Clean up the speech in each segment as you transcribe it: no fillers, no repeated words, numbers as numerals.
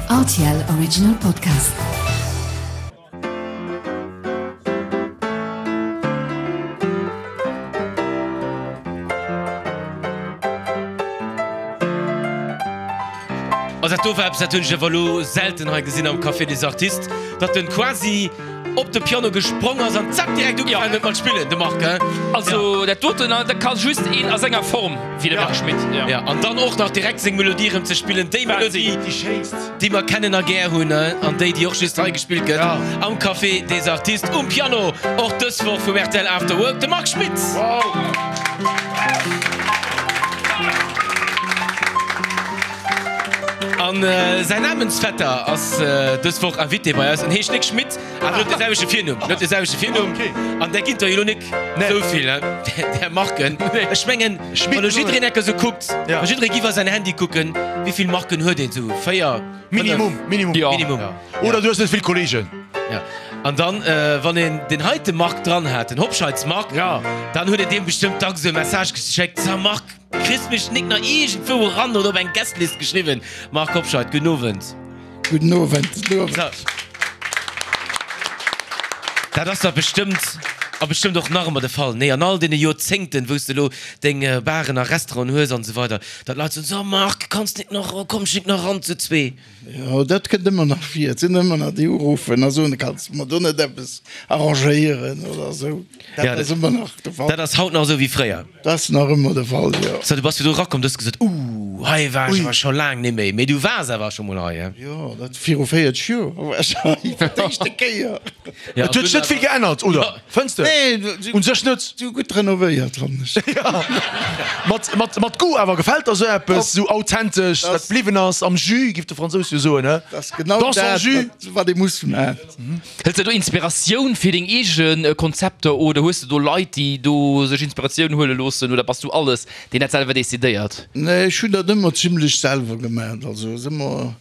Rtl Original Podcast. Also dat do war eppes, dat hunn ech awer elo selten hei gesinn am Café des Artistes, datt en quasi op de Piano gesprong ass an zack direkt ugefaangen huet mat spillen, de Marc, hein? Also dat doten, dat ka just een a senger Form wéi de Marc Schmitt. Ja, an dann och nach direkt seng Melodie erëm ze spillen, déi Melodie, Déi schéinst. déi mer kennen a gär hunn, an déi, déi och just hei gespillt gëtt am Café des Artistes um Piano, och dës Woch vum rtl After Work, de Marc Schmitt. Wow! An säin Namensvetter ass dës Woch Invité bei eis. En heescht Nic Schmitt, awer huet de selwechte Virnumm. Huet de selwechte Virnumm. An där ginn der jo elo nik esou vill, där Marken. Ech mengen, wann elo jiddereen enker esou kuckt, wa jidderee giff a säin Handy kucken, wéi vill Marken huet een esou? 4, 5? Minimum, minimum. Minimum. Oder du hues net vill Kolleegen. Ja. An dann, wann een deen heite Marc dran hat, den Hobscheids Marc, dann huet een deem bestëmmt dacks esou e Message geschéckt, Sa Marc, Kriss mech nik nach iergendwou eran oder op eng Guestlist geschriwwen? Marc Hobscheit, gudden Owend. Gudden Owend. Gudden Owend. So. Dat ass dach bestëmmt, a bestëmmt och nach ëmmer de Fall, nee, an all deene Joerzéngten, wou s de elo deng Baren a Restauranten hues an esou weider, datt Leit soen, So Marc, kanns nik nach, komm ech nik nach eran zu zwee? Jo, dat kënnt ëmmer nach vir. Et sinn ëmmer nach déi uruffen a soen, Kanns de mer do net eppes arrangéieren oder esou. Dat ass ëmmer nach de Fall. Dat ass haut nach esou wéi fréier. Dat ass nach ëmmer de Fall, jo. So, du bass jo do erakomm, du hues gesot, Ooh, hei war ech awer scho laang net méi. Mee du waars awer scho mol hei, he? Jo, dat viru 40 Joer war ech hei fir d'éischte Kéier. Et huet sech net vill geännert, oder? Fënns de? Nee, Un sech net. Si hu gutt renovéiert, fannen ech. Jo, mat, mat, mat Goût awer. Gefält der esou eppes, esou authentesch, dat bliwwen ass, am Jus, giff de Fransous jo soen, he? Dat ass genau Dans son dat, jus. wat, wat ee muss maachen. Hëls de do Inspiratioun fir deng eege Konzepter oder hues de do Leit, déi do sech Inspiratioun huele loossen oder bass du alles, deen dat selwer decidéiert? Nee, ech hunn dat ëmmer zimlech selwer gemaat. Also ass ëmmer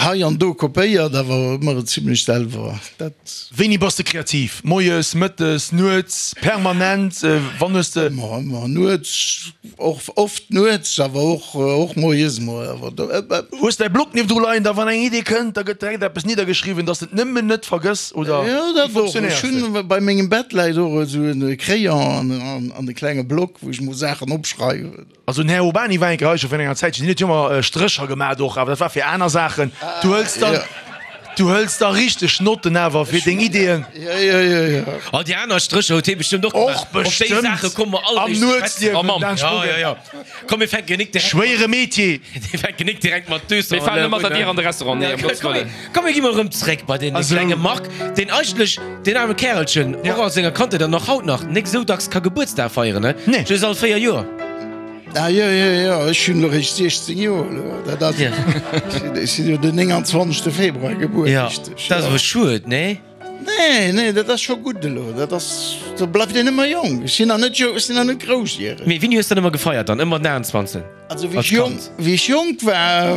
hei an do kopéiert, awer ëmmer zimlech selwer. Dat. Wéini bass de kreativ? Moies, mëttes, nuets, permanent? Wann hues de. Ëmmer, ëmmer nuets. Och oft nuets, awer och och moies mol awer do. Hues däi Block niewendru leien, da wann eng Idee kënnt, da gëtt direkt eppes niddergeschriwwen, dass de et nëmmen net vergëss, oder Jo, wéi dat och. Ech funktionéiers de? hunn bei mengem Bett läit och esou e Crayon an an e klenge Block, wou ech mol Saachen opschreiwen. Also den Här Urbany war eng Kéier hei scho virun enger Zäitchen, deen huet jo ëmmer Strécher gemat och, awer dat war fir aner Saachen. Du hëls dann. Du hëls da richteg Notten awer fir deng Ideeën. Jo, jo, jo, jo. Oh, déi aner Strécher huet hie bestëmmt och gemaach. Och Op déi bestëmmt. Saache komme mer all Am réischt ze schwätzen. Nuetsliewen, Dan Ja, Spogen. ja, ja. Komm, mir fänken nik direkt. Schwéiere Metier. Mir fänken nik direkt mat Döser Mir falen mat der Dier an de Restaurant. Nee, ëm Gottes Wëllen. Komm, mir gi mol erëm zréck bei dee klenge Marc, deen eigentlech, deen aarme Kärelchen, och a senger Kandheet an och haut nach, nik esou dacks ka Gebuertsdag feieren, ne? Nee. Just all 4 Joer. Ah jo, jo, jo, ech hunn elo réischt 16 Joer elo. Dat ass, ech sinn jo den 29. Februar gebuer, Ja, richteg. dat ass awer schued, nee? Nee, nee, dat ass scho gutt elo. Dat ass, do bleift een ëmmer jonk. Ech sinn nach net jo, ech sinn nach net groussjäreg. Mee wéini hues de dann ëmmer gefeiert dann? Ëmmer den 28. Also wéi Als ech jonk, Kand? wéi ech jonk war,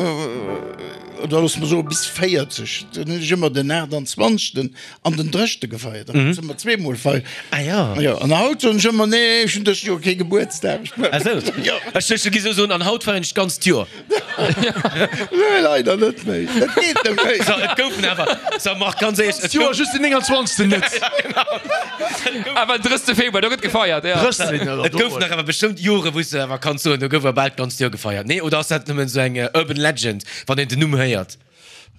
oder looss mer soe bis 40, dunn hunn ech ëmmer den 28. An den 30. gefeiert. Da konnt se ëmmer zweemol feieren. Ah ja. Jo, an haut soen ech ëmmer, nee, ech hunn dëst Joer kee Gebuertsdag. Ah sou. Jo. Ech duecht, du giss elo soen, an haut feieren ech d'ganzt Joer. Nee, leider net méi. Dat geet net méi. So, et goufen awer, so Marc, ganz éierlech, et Joer gouf, just den 29. net. Awer den 30. Februar, do gëtt gefeiert, ja. 30. oder et goufen nach awer bestëmmt Jore wou s de awer kanns soen, do gouf awer bal d'ganzt Joer gefeiert. Nee, oder ass dat nëmmen esou eng urban legend, wann een den Numm héiert?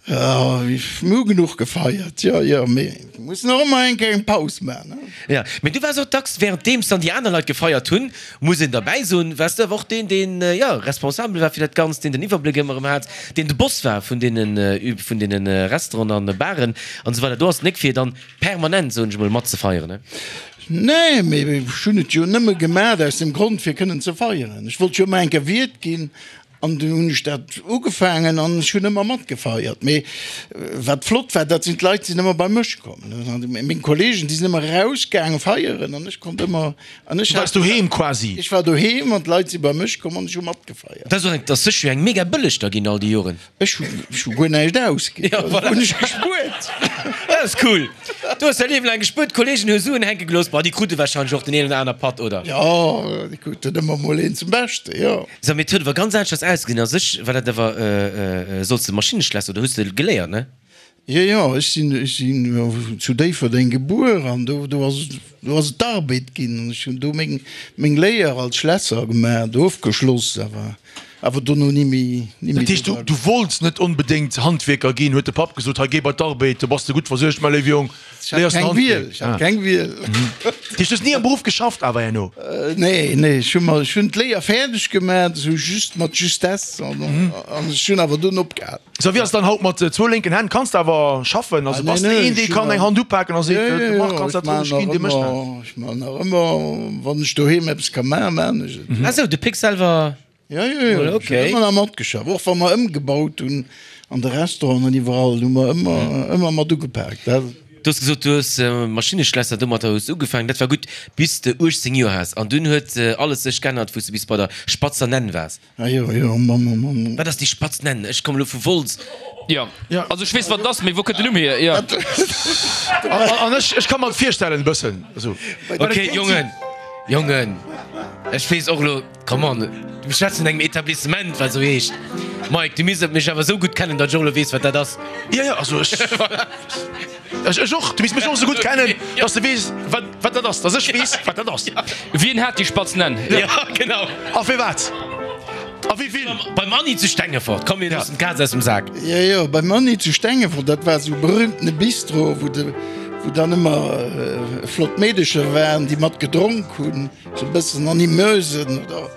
Jo, mir hu genuch gefeiert, jo, jo, mee mir mussen och ëmmer eng Kéier eng Paus maachen, ne? Jo, mee du waars och dacks, wärenddeems dann déi aner Leit gefeiert hunn, muss een derbäi soen, waars du awer och deen, deen, jo, responsabel war fir dat Ganzt, deen den Iwwerbléck ëmmer erëm hat, deen de Boss war vun deenen, vun deene Restauranten an Baren an esou weider. Do ass et nik fir dann permanent, soen ech emol, matzefeieren, ne? Nee, mee ech hunn et jo nëmme gemaach aus dem Grond, fir kënnen ze feieren. Ech wollt jo ëmmer eng Kéier Wiert ginn An dunn hunn ech dat ugefaangen an ech hunn ëmmer matgefeiert. Mee wat flott war, dat sinn d'Leit sinn ëmmer bei mech komm. Meng Kollegen, déi sinn ëmmer erausgaange feieren an ech konnt ëmmer, an ech Du waars doheem quasi? Ech war doheem an d'Leit si bei mech komm an ech hu matgefeiert. Dat ass och eng, dat ass sécher jo eng mega bëlleg da ginn all déi Joren. Ech hu, ech hu guer näischt ausginn. Ja, voilà. Hunn ech gespuert. Ja. ass cool! Du hues däi Liewen laang gespuert, d'Kollegen hu Suen hänke gelooss. Bon, déi krute warscheinlech och den een oder aner Patt, oder? Jo, déi kruten ëmmer mol een zum Beschte, jo. So, mee et huet awer ganz aneschters ausgesinn. A sech war dat awer, solls de Maschinneschlässer oder hues de geléiert, ne? Jo, jo, ech sinn, ech sinn zu Déifferdeng gebuer an do, do ass et, do ass et d'Arbed ginn an ech hunn do meng, meng Léier als Schlässer gemaach, ofgeschloss, awer, awer dono ni méi, ni méi Dat heescht, du, du wollts net onbedéngt Handwierker ginn, huet de Papp gesot, hei géi bei d'Arbed, do bass de gutt versuergt, mäi léiwe Jong, Ech hat léiers en keng Wiel, Handwierk. ech hat keng Wiel. Dat heescht, du hues ni am Beruff geschafft awer herno? Nee, nee, ech hu mer, ech hunn d'Léier fäerdeg gemaach, esou just mat Justesse an, an ech hunn awer dunn opgehal. Sou wéi ass et dann haut mat zwou lénken Hänn? Kanns de awer schaffen? Also bass de een dee kann eng Hand upaken a seet, de Marc kanns dat roueg ginn, dee mécht dat? Ech man nach ëmmer, wann ech doheem eppes ka maachen, maan ech et. Ah sou, de Pick selwer? Jo, jo, jo, ech hunn ëmmer nach matgeschafft. Och wa mer ëmgebaut hunn an de Restauranten an iwwerall, hu mer ëmmer, ëmmer mat ugepaakt. Du hues gesot, du hues Maschinneschlässer, domatter hues de ugefaangen. Dat war gutt bis de 18 Joer has an dunn huet alles sech geännert, wou s de bis bei der Spatzer Nenn waars. Ah jo, jo, Mann, oh Mann. Wat ass déi Spatz Nenn? Ech kommen elo vu Wolz. Jo, also ech weess wat et ass, mee wou kënnt den Numm hier? Jo. An ech, ech ka mer et virstellen e bëssen esou. Ok, Jongen, Jongen, ech weess och elo, come on, mir schwätzen vun engem Etablissement wat esou heescht. Mike, du misst mech awer esou gutt kennen, datt ech och elo weess wat dat ass. Jo, jo, also ech, ech, ech och, du misst mech och esou gutt kennen, datt s de weess wat. Wat dat ass, dass ech weess, wat dat ass. Wien hat déi spatz Nenn? Ja, genau. A firwat? A wéi vill? Beim Anni zu Stengefort. Komm, mir loossen d'Kaz aus dem Sak. Jo, jo, beim Anni zu Stengefort, dat war esou e berühmtene Bistro, wou de, wou dann ëmmer flott Meedecher waren, déi mat gedronk hunn, esou e bëssen Animeusen oder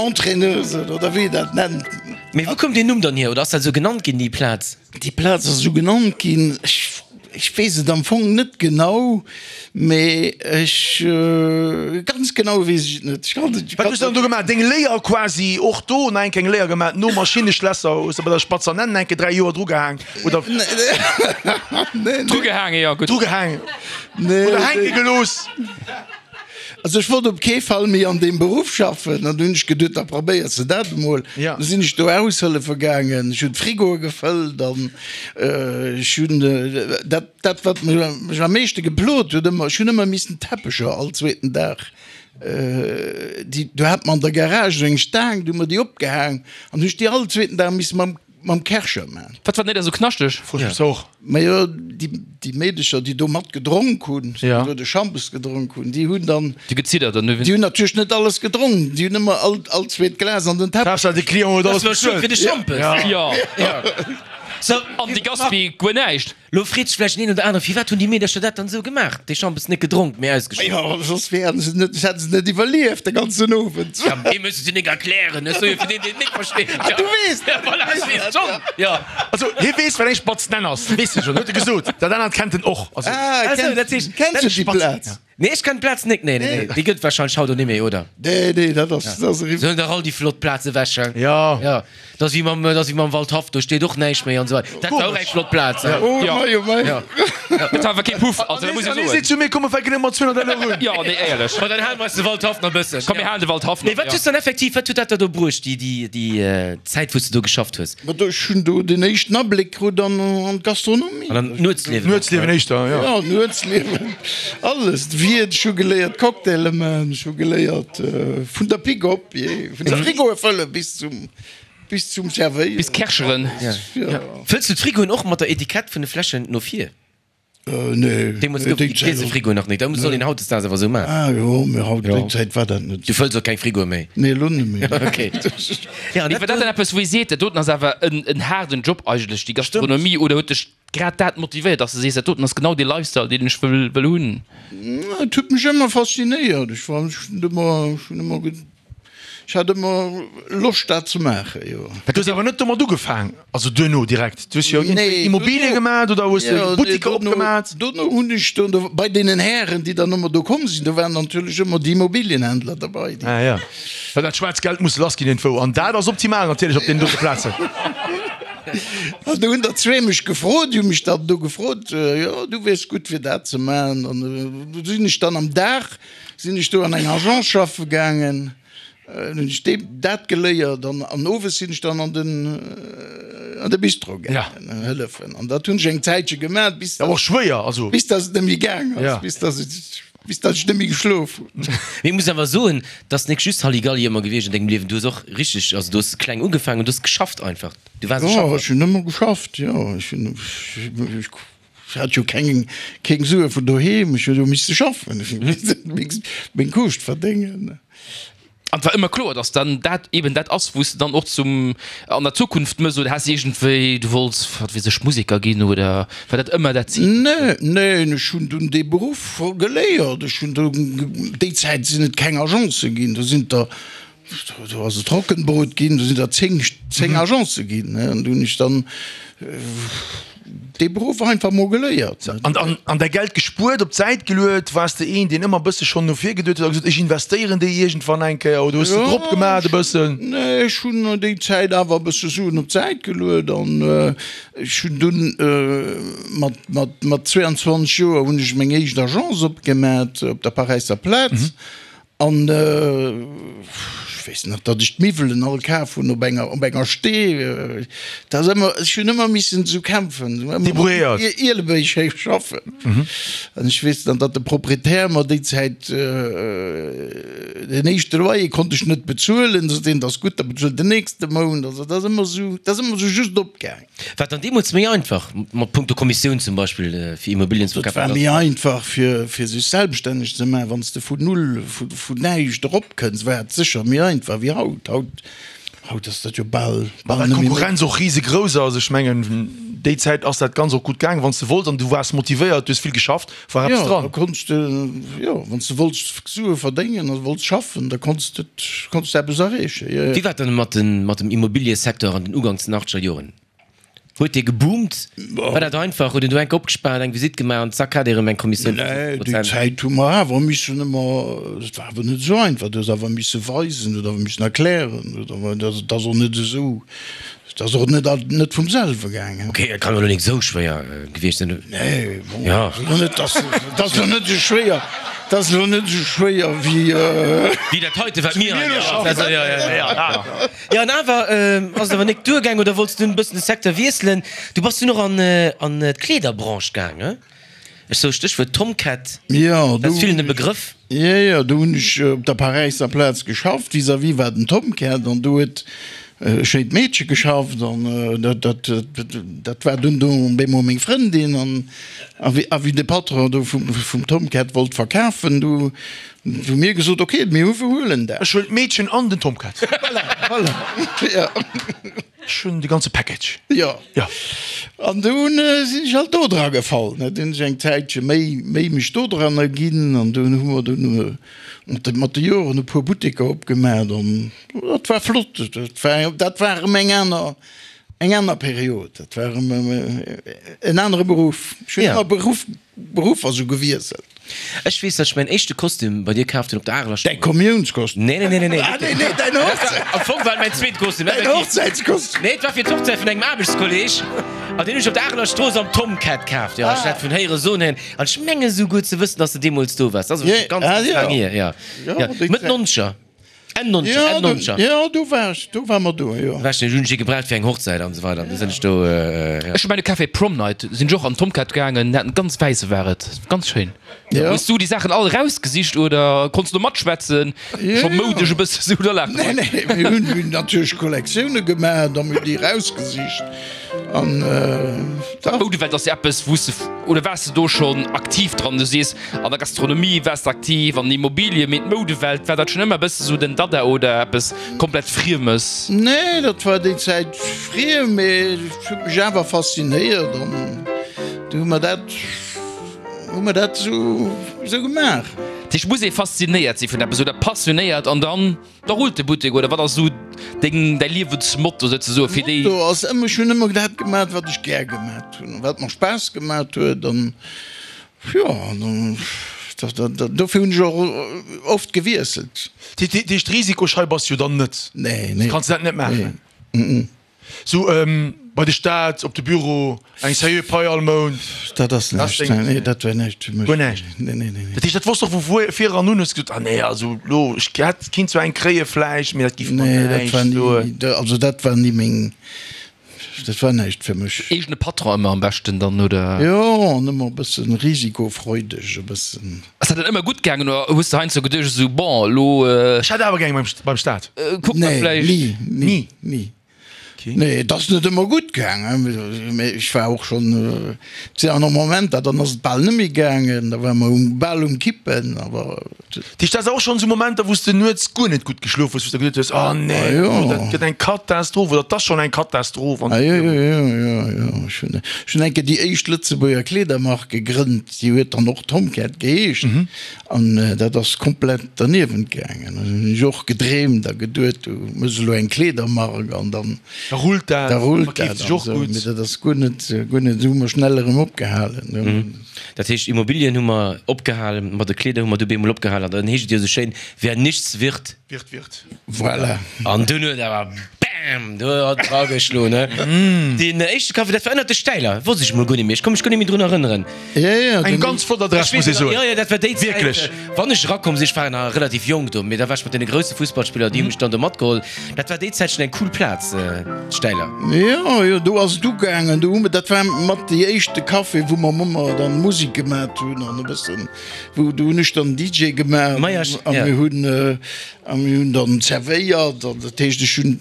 Entraîneusen oder wéi een dat nennt. Mee wou koum deen Numm dann hier? Oder ass dat esou genannt ginn, déi Plaz? Déi Plaz ass esou genannt ginn, ech ech weess et am Fong net genau, mee ech, ganz genau weess ech et net. Ech kann et, Wat hues de dann do gemaach? Deng Léier quasi och do nach eng Kéier eng Léier gemaach nom Maschinneschlässer? Hues de bei der Spatzer Nenn eng Kéier 3 Joer drugehaang oder? Nee, nee. Drugehaange, jo gutt. Drugehaang oder hänke gelooss? Also ech wollt op kee Fall méi an deem Beruff schaffen an du hunn ech geduet, da probéiers de dat emol. Ja. Du sinn ech do aushëllefe gaangen, ech hunn d'Frigoe gefëllt an ech hunn dat, dat wat mech am meeschte geplot huet ëmmer, ech hunn ëmmer missen Teppecher all zweeten Dag, déi, do hat mer an der Garage esou eng Staang, du hu mer déi opgehaang an hu ech déi all zweeten Dag misse mam Mam Kärcher man. Wat war net esou knaschteg? Froe ech mech och. Majo, déi Meedecher, déi do mat gedronk hunn, déi do de Schampes gedronk hunn, déi hunn dann. Déi geziddert an. Déi hunn natierlech net alles gedronk, déi hunn ëmmer all, all zweet Glas an den Teppech. Haaptsaach de Client huet alles Dat war schued fir de Schampes. Jo. So, An de Gaspi guer näischt. Lo freet sech vläicht den een oder anere, Firwat hunn déi Meedercher dat dann esou gemaach? Dee Schampes net gedronk, mee ausgeschott. Jo, soss wären se net, hätte se net iwwerlieft de ganzen Owend. Ja, dee muss et jo nik erklären. Ech soe jo fir deen, deen et nik versteet. Ah, du weess dat! Ja, voilà, ech weess et schonn. Jo. Also, hie weess, wat eng Spatz Nenn ass. Weess hie schonn, huet e gesot. Dat anert kennt en och. Also. Ah, Ah, sou, kennt, dat heescht, kenns dat du ass déi Spatz. Plaz? Nee, ech kennen d'Plaz nik. Nee, nee, nee. Déi gëtt et warscheinlech haut och nik méi, oder? Nee, nee, dat ass, dat ass eriwwer. Sollen dach all déi flott Plaze ewech, hein? Ja. Ja. Dat ass wéi mam, dat ass wéi mam Waldhaff, do steet och näischt méi an esou weider. Dat war och eng flott Plaz, hein? Oh Ja. mei, oh mei. Ja. Et war awer kee Puff, also dat muss An ee hie soen. seet zu mir, Komm, mer fänken ëmmer 200 Euro un. Jo, nee, éierlech. Ma dann hale mer eis de Waldhaff nach e bëssen. Komm, mir halen de Waldhaff nach, Mee wat ja. hues dann effektiv, wat huet dat der do bruecht, déi, déi, déi Zäit, wou s de do geschafft hues? Ma do, ech hunn do den éischten Abléck krut an, an d'Gastronomie. An an d'Nuetsliewen och. Nuetsliewen éischter, jo. Ja, Nuetsliewen, alles. D'Wiert, ech hu geléiert Cocktaile man, ech hu geléiert vun der Pick op, jee, vun de Frigoe fëlle bis zum, bis zum Servéieren. Bis Kärcheren. Ja. Fëlls du d'Frigoen och mat der Etikett vun de Fläschen no vir? Nee, Deemools gouf et déi Griesefrigoen nach net. Dat soll een hautdesdaags awer esou maachen. Ah jo, mee haut, déi Zäit war dat net. Du fëlls och keng Frigoe méi? Nee, elo net méi. Ok. Ja, an Mee war dat dann eppes, wou ee seet, dat doten ass awer en haarden Job eigentlech, déi Gastronomie, oder huet dech grad dat motivéiert, dass de sees, dat doten ass genau dee Lifestyle, deen ech wëll wëll hunn? Et huet mech ëmmer faszinéiert. Ech war, ech hunn ëmmer, ech hunn ëmmer. Ech hat ëmmer Loscht dat ze maachen, jo. Du hues awer net domat ugefaang, also duerno direkt? Du hues jo Nee, Immobilie duerno, gemaat oder hues de jo, nee, Buttiker duerno, opgemaat? duerno hunn ech do, do bei deenen Hären, déi dann ëmmer do komm sinn, do waren natierlech ëmmer déi Immobilienhändler derbei, déi. Ah ja, well dat schwaarzt Geld muss lass ginn iergendwou an dat ass optimal natierlech op deenen dote Plazen. An do hunn der zwee mech gefrot, déi hu mech dann do gefrot, jo, du wiers gutt fir dat ze maachen. An do sinn ech dann am Dag Sinn ech do an eng Agence schaffe gaangen. Hunn ech dee dat geléiert an an owes sinn ech dann an den an de Bistro gaangen hëllefen. An dat hunn ech eng Zäitche gemaach, bis Awer och schwéier, also. bis datt et net méi gaang ass, bis datt et bis datt ech net méi geschlof hunn. Mee ech muss awer soen, 't ass nik just Halligalli ëmmer gewiescht an dengem Liewen. Du hues och richteg, also du hues kleng ugefaangen an du hues geschafft einfach. Du waars e Jo, Schaffer. ech hunn ëmmer geschafft, jo. Ech hunn ech hat jo keng keng Sue vun doheem, ech hunn jo misse schaffen, ech hunn misse meng Kuuscht verdéngen. An et war ëmmer kloer, dass dann dat eben dat ass, wou s de dann och zum an der Zukunft mëss oder has iergendwéi, du wollts, wat weess ech, Museker ginn oder war dat ëmmer dat Zil? Nee, neen, ech hunn dunn dee Beruff geléiert. Ech hunn do, déi Zäit sinn et keng Agencë ginn, do sinn der Do ass et Trockenbrot ginn, do sinn der 10, 10 Agencë ginn, ne, an do hunn ech dann dee Beruff einfach mol geléiert. An, an, an däi Geld gespuert, op d'Säit geluet? Waars de een, deen ëmmer e bësse schonn no vir geduet huet a gesot, ech investéieren déi iergendwann eng Kéier, oder hues de drop gemaat e bëssen? Nee, ech hunn déi Zäit awer e bësse Suen op d'Säit geluet an ech hunn dunn mat, mat, mat 22 Joer hunn ech meng éischt Agence opgemat op der Paräisser Plaz An ech weess nach, datt ech d'Miwwelen all kaf hunn op enger, op enger Stee. Dat ass ëmmer, ech hunn ëmmer missen esou kämpfen, ëmmer mat Debrouilléiert. Ielebéig héich schaffen. An ech weess dann, datt de Proprietär mer déi Zäit den éischte Loyer konnt ech net bezuelen. Da sot hien, dat ass gutt, da bezuel den nächste Mount. Also dat ass ëmmer esou, dat ass ëmmer esou just opgaang. War et dann deemools méi einfach, mat punkto Kommissioun zum Beispill, fir Immobilien ze Et war verkafen? méi einfach, fir fir sech selbststänneg ze maachen. Wann s de vun null, vu vun näischt eropkënns, war et sécher méi einfach wéi haut. Haut, haut ass dat jo bal, bal Well net méi d'Konkurrenz och risegrouss ass. Ech mengen, déi Zäit ass dat Ganz och gutt gaangen, wann s de wollts an du waars motivéiert, du hues vill geschafft, war eppes Jo, da dran. konns de, jo, wann s de wollts Sue verdéngen a wollts schaffen, da konns de, konns de eppes erreechen, jo, jo. Wéi war et dann mat den, mat dem Immobiliësecteur an den uganks den achtzeger Joren? Huet dee geboomt? War dat einfach? Huet een do enk opgespaart, eng Visitt gemaach an zack hat ee erëm eng Kommissioun vu Nee, 50 déi Prozent? Zäit hu mer awer missen ëmmer, et war awer net esou einfach, du hues awer misse weisen, du hues awer missen erklären, du hues awer, dat ass och net esou, Et ass och net net vum selwe gaangen. Ok, et kann elo nik esou schwéier gewiescht sinn. Nee, bon, Ja. ass elo net, ass, et ass elo net esou schwéier, et ass elo net esou schwéier wéi. Wéi dat heite, wat mir hei maachen. Ja, ja, ja. Jo, an awer ass et awer nik duergaang, oder wollts du en bëssen de Secteur wiesselen? Du bass dunn och an an d'Kleederbranche gaang, he? Ech sou Stéchwuert Tomcat, Jo, dat do ass villen hunn e ech, Begrëff. jo, jo, do hunn ech op der Paräisser Plaz geschafft, vis-à-vis war den Tomcat an do huet e schéint Meedche geschafft an dat, dat, dat war dunn do bemol meng Frëndin an a wéi, a wéi de Patron do vum, vum Tomcat wollt verkafen, du hu mir gesot, ok, mir hu, huelen dat. Ech huelen d'Meedchen an den Tomcat. Voilà, voilà, jo. Ech hunn de ganze Package. Jo. Jo. An dunn sinn ech halt do dra gefall. Dunn hunn ech eng Zäitche méi, méi mech do dran erginn an dunn hu mer dunn mat de, mat de Joren e puer Butteker opgemaach an dat war flott. Dat war, dat war erëm eng aner, eng aner Period. Dat war erëm en anere Beruff. Ech hunn ëmmer Beruff, Beruffer sou gewiesselt. Ech weess, datt ech mäin éischte Kostüm bei dir kaaft hunn op der Areler Däi Strooss. Kommiounskostüm? Nee, nee, nee, nee, nee. Ah, nee, nee, däin Hochzäit. Am Fong war et mäin zweet Kostüm. Däin Hochzäitskostüm. Nee, et war fir d'Hochzäit vun engem Aarbechtskolleg. An deen hunn ech op der Areler Strooss am Tomcat kaaft. Jo, ech hat vun héiere soen héieren. An ech menge souguer ze wëssen, datt s de deemools do waars. Dat ass awer scho ganz, ganz laang hier. Jo, jo. Mëtt Nonzeger. Enn Nonzeger, Enn Nonzeger. Jo, do war ech, do war mer do, jo. War ech, hunn ech ee gebraucht fir eng Hochzäit an esou weider. An du sinn ech do, jo. Ech hu mäin Café Prom Night, sinn ech och an Tomcat gaangen, haten ganz wäisse war et, ganz schéin. Jo. Hues du déi Saachen all erausgesicht oder konns du matschwätzen? Jo, Scho jo. moudesch e bësse sou oder laacht Nee, nee, mir hunn, mir hunn natierlech Kollektioune gemaach, da mir déi erausgesicht an dach. D'Moudewelt ass jo eppes wou s de, oder waars de do schonn aktiv dran? Du sees An der Gastronomie waars de aktiv, an den Immobilien, mee d'Moudewelt, war dat schonn ëmmer e bësse sou den Dada oder eppes komplett Friemes? Nee, dat war déi Zäit friem, mee et huet mech awer faszinéiert an du hu mer dat, hu mer dat esou, esou gemaach. Dat heescht, muss ee faszinéiert si vun eppes oder passionéiert an dann da rullt de Buttek oder wat ass esou deng, däi Liewensmotto souzesoe fir déi. Motto ass ëmmer, ech hunn ëmmer dat gemaach, wat ech gär gemaach hunn, wat mer Spaass gemaach huet an Jo, dofir hunn ech och oft gewiesselt. Dat heescht, Risikoschei bass jo dann net? Nee, nee. Kanns dat net maachen? Nee. Sou bei de Staat, op de Büro, eng seriö Pai all Mount. Dat ass näischt, nee, dat wär näischt fir mech. Guer näischt? Nee, nee, nee. Dat heescht, dat wosst och vu vir eran un, hues gesot, ah nee, also lo, ech hätt, kinnt zwar eng kréie vläicht, mee dat giff mer Nee, dat war näischt do. ni, also dat war ni meng, dat war näischt fir mech. Eegene Patron ëmmer am beschten dann, oder? Jo, an ëmmer e bëssen risikofreudeg, e bëssen. Ass dat dann ëmmer gutt gaangen oder hues de heiansdo geduecht esou, bon, elo. Ech hätt awer gär eng beim Staat. Kuck mer Nee, vläicht. ni, ni, Ni? ni. Nee, et ass net ëmmer gutt gaangen, mee ech war och schonn, et sinn awer nach Momenter, dann ass et bal net méi gaangen, da ware mer um, bal um Kippen, awer. Dat heescht, dat ass och schonn esou Momenter, wou s de nuets guer net gutt geschlof hues, wou s de geduet hues, oh nee, dat gëtt eng Katastroph oder et ass schonn eng Katastroph an. Ah jo, jo, jo, jo, jo. Ech hunn, ech hunn eng Kéier déi éischt Lëtzebuerger Kleedermark gegrënnt, déi huet dann och Tomcat geheescht. An dat ass komplett derniewent gaangen. Dann hunn ech och gedreemt a geduet, du méchs elo eng Kleedermark an dann. Da rullt dat, da rullt verkeeft dat sech och an esou. gutt. Mee dat ass guer net, guer net, esou hu mer schnell erëm opgehalen. Dat heescht, Immobilien hu mer opgehalen, mat de Kleeder hu mer du bemol opgehalen. An dann heescht et jo esou schéin, Wer nichts wird. Wird, wird. Voilà. An dunn huet awer bam! Do hat et drageschloen, ne? Deen éischte Café, dat war ënnert de Stäiler, wosst ech mol guer net méi. Ech konnt mech guer net méi drun erënneren. Ja, ja, Eng ganz flott Adress, muss ee soen. Jo, jo, dat war déi Zäit. Wierklech. Wann ech erakomm sinn, ech war nach relativ jonk do, mee da war ech mat deene grousse Fussballspiller, déi hu mech dann do matgeholl. Dat war déi Zäit schonn eng cool Plaz, d'Stäiler. Jo, jo, do ass et ugaangen. Do hu mer, dat war mat déi éischte Café, wou mer ëmmer dann Musek gemat hunn an e bëssen, wou, do hunn ech dann DJ gemaach a mir hunn, a mir hunn dann zerwéiert. An dat heescht, ech hunn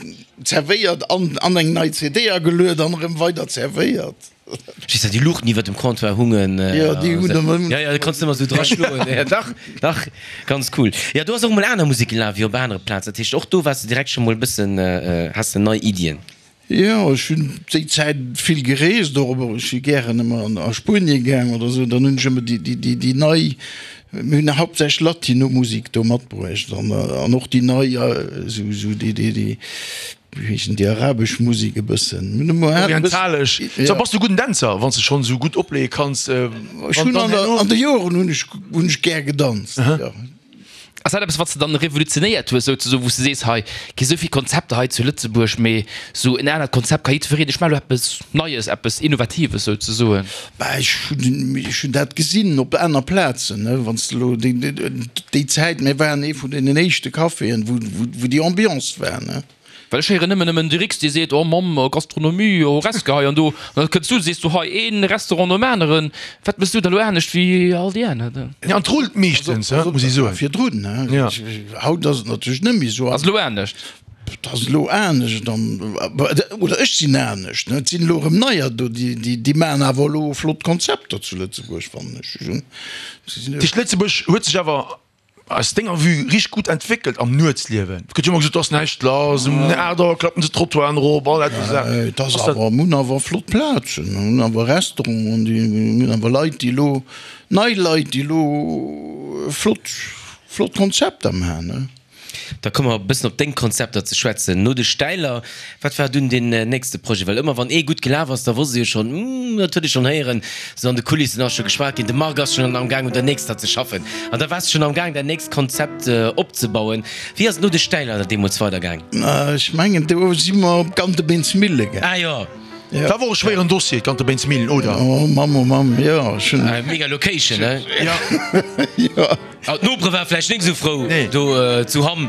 zerwéiert an, an eng nei CD ageluet an erëm weider zerwéiert. Just dat déi Luuchten iwwer dem Comptoir hungen. Jo, déi hunn ëmmer. Jo, jo, do konns de ëmmer esou dra schloen. Jo, dach, dach, ganz cool. Jo, do ass och emol aner Musek gelaf wéi op anere Plazen. Dat heescht, och do waars de direkt scho mol e bëssen, has de nei Iddien. Jo, ech hunn déi Zäit vill gereest och, ech si gären ëmmer a Spuenie gaang oder esou, dann hunn ech ëmmer déi, déi, déi nei, mir hunn haaptsächlech Latino-Musek do matbruecht an, an och déi nei, esou, esou déi, déi, déi. Wéi heeschen déi arabesch Musek e bëssen? Orientalesch. So, bass du gudden Dänzer, wann s de schonn esou gutt opleeë kanns? Ech hunn an der, an de Joren hunn ech, hunn ech gär gedanzt, jo. Ass dat eppes, wat s de dann revolutionéiert hues, souzesoen, wou s de sees, hei gi sou vill Konzepter hei zu Lëtzebuerg, mee sou en anert Konzept ka jiddwereen, ech maache lo eppes Neies, eppes Innovatives souzesoen? Bah, ech hunn, ech hunn dat gesinn op aner Plazen, ne, wann s de elo déi, déi Zäit, mir waren ee vun deenen éischte Caféen, wou, wou déi Ambiance war, ne. Well ech héieren nëmmen nëmmen de Rix, dee seet, oh Mamm, Gastronomie, Horesca hei an do. An da kënns du, sees du, hei een Restaurant nom aneren. Wat méchs du da elo anescht wéi all déi aner? Ja, an et rullt meeschtens, he, muss ee soen. Virdrun, ne. Haut ass et natierlech net méi esou. Ass elo anescht? Et ass elo anescht an, oder ech sinn anescht, ne. Et sinn elo erëm neier do, déi, déi maachen awer elo flott Konzepter zu Lëtzebuerg, fannen ech. Dat heescht, Lëtzebuerg huet sech awer aus denger Vue richteg gutt entwéckelt am Nuetsliewen? Et gëtt jo ëmmer gesot, et ass näischt lass, um 8 Auer klappen se d'Trottoiren erop, all dat esou Saachen. Et ass awer, mir hunn awer flott Plazen, mir hunn awer Restauranten, déi, mir hunn awer Leit, déi elo, nei Leit, déi elo flott, flott Konzepter maachen, ne. Da komme mer e bëssen op deng Konzepter ze schwätzen. No de Stäiler, wat war dunn deen nächste Projet? Well ëmmer wann ee gutt gelaf ass, da wosst ee jo schonn, Hm, dat huet ee schonn héieren, sou an de Kulissen ass scho geschwat ginn, de Marc ass schonn am Gaang un der nächster ze schaffen. An da waars de schonn am Gaang däin nächst Konzept opzebauen. Wéi ass et no de Stäiler deemools weidergaang? Ech mengen, do si mer op d'Gantebeensmille gaang. Ah jo. Dat war och e schwéieren Dossier, d'Gantebeensmillen, oder? Oh Mamm, oh Mamm, jo, ech hunn. Mega Location, ne? Jo. Jo. Ah, d'Nopere ware vläicht nik esou frou do zu Hamm,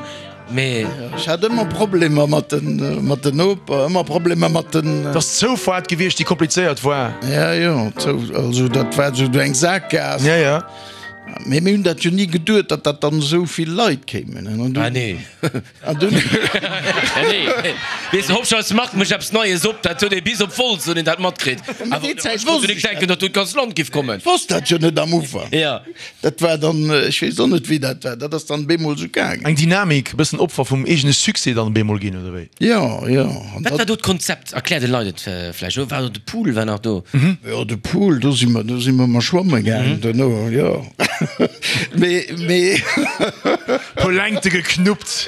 mee. Ech hat ëmmer Problemer mat den, mat den Noper, ëmmer Problemer mat den. Et ass d'Zoufaart gewiescht, déi komplizéiert war. Ja, jo, d'Zou, also dat war esou eng Sakgaass. Ja, ja. Mee mir hunn dat jo ni geduet, datt dat dann esou vill Leit kéimen. Ah, nee. An dunn. Nee, weess de, Hopscheiss Marc mécht eppes Neies op, dat huet ee bis op Wolz huet een dat matkritt. Mä déi Zäit wosst ech denken, datt do d'ganz Land giff kommen. Ech wosst dat jo net am Ufank. Ja. Dat war dann, ech weess och net, wéi dat war, dat ass dann bemol esou gaangen. Eng Dynamik, e bëssen Opfer vum eegene Succès dann bemol ginn, oder wéi? Jo, jo. An Wat war dat. do d'Konzept? Erklär de Leit et vläicht. War do de Pool war nach do? Jo, de Pool, do si mer, do si mer ëmmer schwamme gaangen duerno, jo. Mee, mee. Puer Längte geknuppt.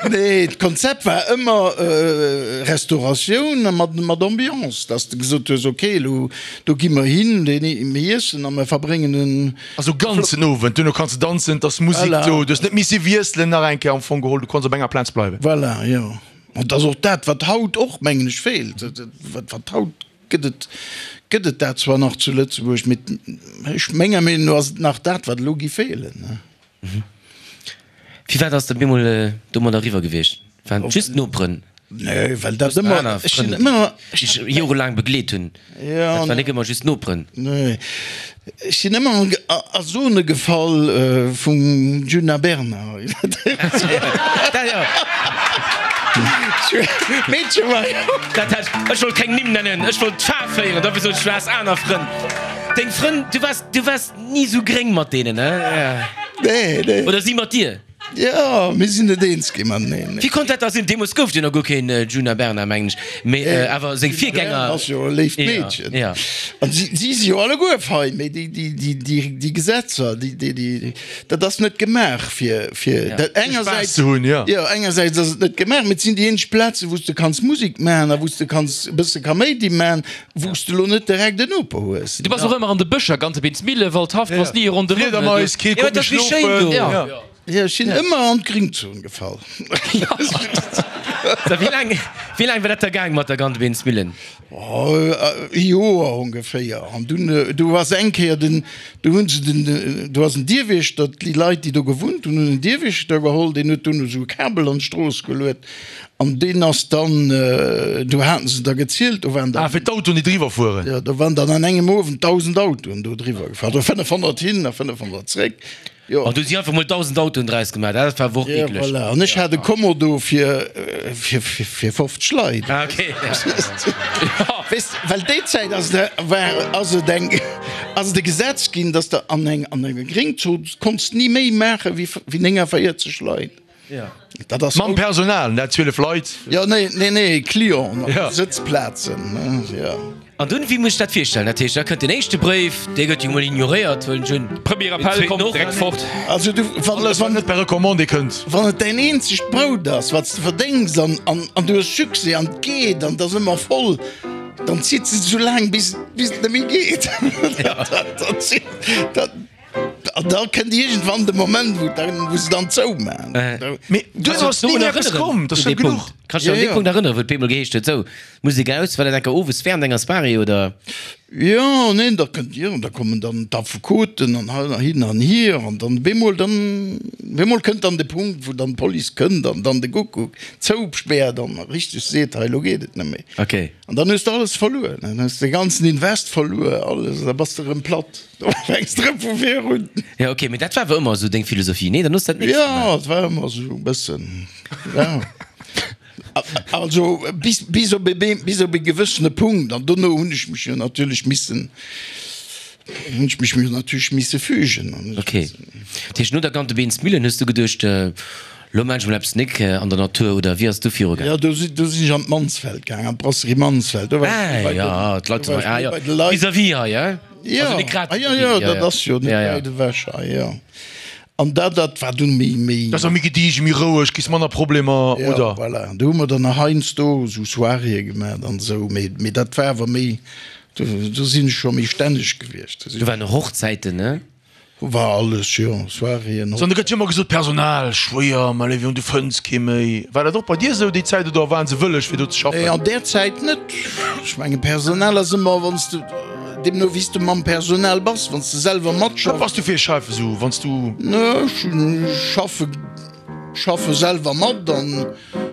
Nee, d'Konzept war ëmmer Restauratioun a mat, mat Ambiance, dass de gesot hues, ok, elo do gi mer hin, deen, mir iessen a mer verbréngen en. Also ganzen Owend, duerno kanns de danzen, et ass Musek Voilà. do, du hues net misse wiesselen nach eng Kéier am Fong geholl, du konns op enger Plaz bleiwen. Voilà, jo. An et ass och dat, wat haut och, mengen ech, feelt. Wat, wat haut gëtt et, gëtt et dat zwar nach zu Lëtzebuerg, mee ech, menger Meenung no ass et nach dat, wat elo géif feelen. Firwat ass de bemol domadder eriwwer gewiescht? Waren et just d'Noperen? Nee, well dat ëmmer, ech sinn ëmmer, déi dech jorelaang begleet hunn. Dat waren nik ëmmer just d'Noperen. Nee, ech sinn ëmmer a Zone gefall vum Djuna Bernard. Meedche war jo. Dat hat, ech wollt keng Nimm nennen, ech wollt d'Faarf héieren, dofir sot ech, du has aner Frënn. Deng Frënn, du waars, du waars ni sou gréng mat deenen, ne? Nee, nee. Oder si mat dir? Jo, mir sinn net eens gi mateneen. Wéi konnt dat da sinn? Deemools gouf et jo nach guer keen Djuna Bernard, mengen ech, mee awer seng Virgänger. Ass jo e léift Meedchen. Ja. An si si jo alleguer fein, mee déi, déi, déi, déi, déi Gesetzer, déi, déi, déi, dat ass net gemaach fir, fir dat engersäits. Spaass ze hunn, jo. Jo, engersäits ass et net gemaach, mee et sinn déi eenzeg Plazen, wou s de kanns Musek maachen a wou s de kanns e bësse Kaméidi maachen, Wou s de lo net direkt en Noper hues. Du bass och ëmmer an de Bëscher, Gantebeens Mille, Waldhaff, du bass ni ronderëm. Fliedermais, kee konnt méi schlofen. Jo, ech sinn ëmmer an d'Gringzon gefall. Wéi laang, wéi laang war dat da gaang mat der Gantebeens Millen? Oh, e Joer ongeféier. An dunn, du ass eng Kéier den, du hunn se den, do ass en Dierwiechter, déi Leit, déi do gewunnt hunn, hunn en Dierwiechter geholl, deen huet dunn esou e Kabel an d'Strooss geluet. An deen ass dann, do haten se der gezielt, do waren der. Ah, fir d'Autoen, déi driwwer fueren. Jo, do waren dann an engem Owend 1.000 Autoen do driwwer gefahr, also 500 hin a 500 zréck. Jo. An do si einfach mol 1.000 Autoen draus gemaach, dat war awer och Ja, eekleg. voilà. An ech hat e Commodo fir, fir, fir, fir 50 Leit. Ah, okay. Weess, well déi Zäit ass et, war, ass et eng, ass et e Gesetz ginn, dass de an eng, an enger Gréngzon konns ni méi maache wéi, wéi 49 Leit. Dat ass Mam Personal, net 12 Leit. Jo, nee, nee, nee, Clienten op Sëtzplazen, jo. An dunn, wéi muss ech dat virstellen? Dat heescht, da kënnt den éischte Bréif, dee gëtt jo mol ignoréiert, huelen ech un. Premier Appell kommt direkt fort. Also du, wann, Alles, wat net per Recommandé kënnt. Wann et däin eenzegt Brout ass, wat s de verdéngs an, an, an du hues Succès an et geet an et ass ëmmer voll, dann zitt se esou laang, bis, bis et net méi geet. Dat, dat, An da kënnt iergendwann de Moment, wou dann, wou se dann zoumaachen. Mee duerno ass ni méi eppes komm, dat ass jo genuch. Kanns du dech un dee Punkt erënneren, wou et bemol geheescht huet, sou, Musek aus, war dat enker owes wärend enger Soirée oder? Jo, neen, da kënnt, jo, da kommen dann d'Affekoten an hei an hin an hier an dann bemol dann, bemol kënnt dann de Punkt, wou dann d'Police kënnt an dann de Guckuck zouspäert an richteg seet, hei, elo geet et net méi. Okay. An dann hues de alles verluer, dann hues de de ganzen Invest verluer, alles, da bass de erëm platt. Do fänks de rëm vu vir un. Jo, ok, mee dat war awer ëmmer esou deng Philosophie, nee? Dann hues de dat nächst Jo, gemaach. et war ëmmer esou e bëssen, ja. Also bis, bis op e, bis op e gewëssene Punkt. An dono hunn ech mech jo natierlech missen, hunn ech mech jo natierlech misse fügen. Ok. Dat heescht, no der Gantebeensmillen hues du geduecht, Lo maan ech mol eppes nik an der Natur, oder wéi ass et du viru gaang? Jo, do si, do sinn ech an d'Mansfeld gaang, an d'Brasserie Mansfeld. Do war ech Ah bei jo, den, d'Leit do war sinn hei, ech ah méi jo, bei de Leit. vis-à-vis hei, hein? Jo, Also nik grad ah jo, vis-à-vis, jo, jo, dat jo. ass jo net Ja, ja. wäit ewech hei, jo. An dat, dat war dunn méi, méi. Dat ass méi gediegen, méi roueg, kriss manner Problemer, Jo, oder? voilà. Do hu mer dann nach heiansdo esou Soiréeë gemaach an esou, mee, mee dat war awer méi, do, do sinn ech scho méi stänneg gewiescht. Do waren och Hochzäiten, ne? War alles, jo, Soiréeën, An da gëtt jo ëmmer gesot, Personal schwéier, ma léiw Jong, du fënns kee méi. War dat och bei dir esou déi Zäit oder waren se wëlleg fir do ze schaffen? Nee, an där Zäit net. Ech mengen, Personal ass ëmmer, wann s de, deemno wéi s de mam Personal bass, wann s de selwer Wat matschaffs. bass du fir e Chef esou, wann s du. Nee, ech hunn, schaffe, schaffe selwer mat an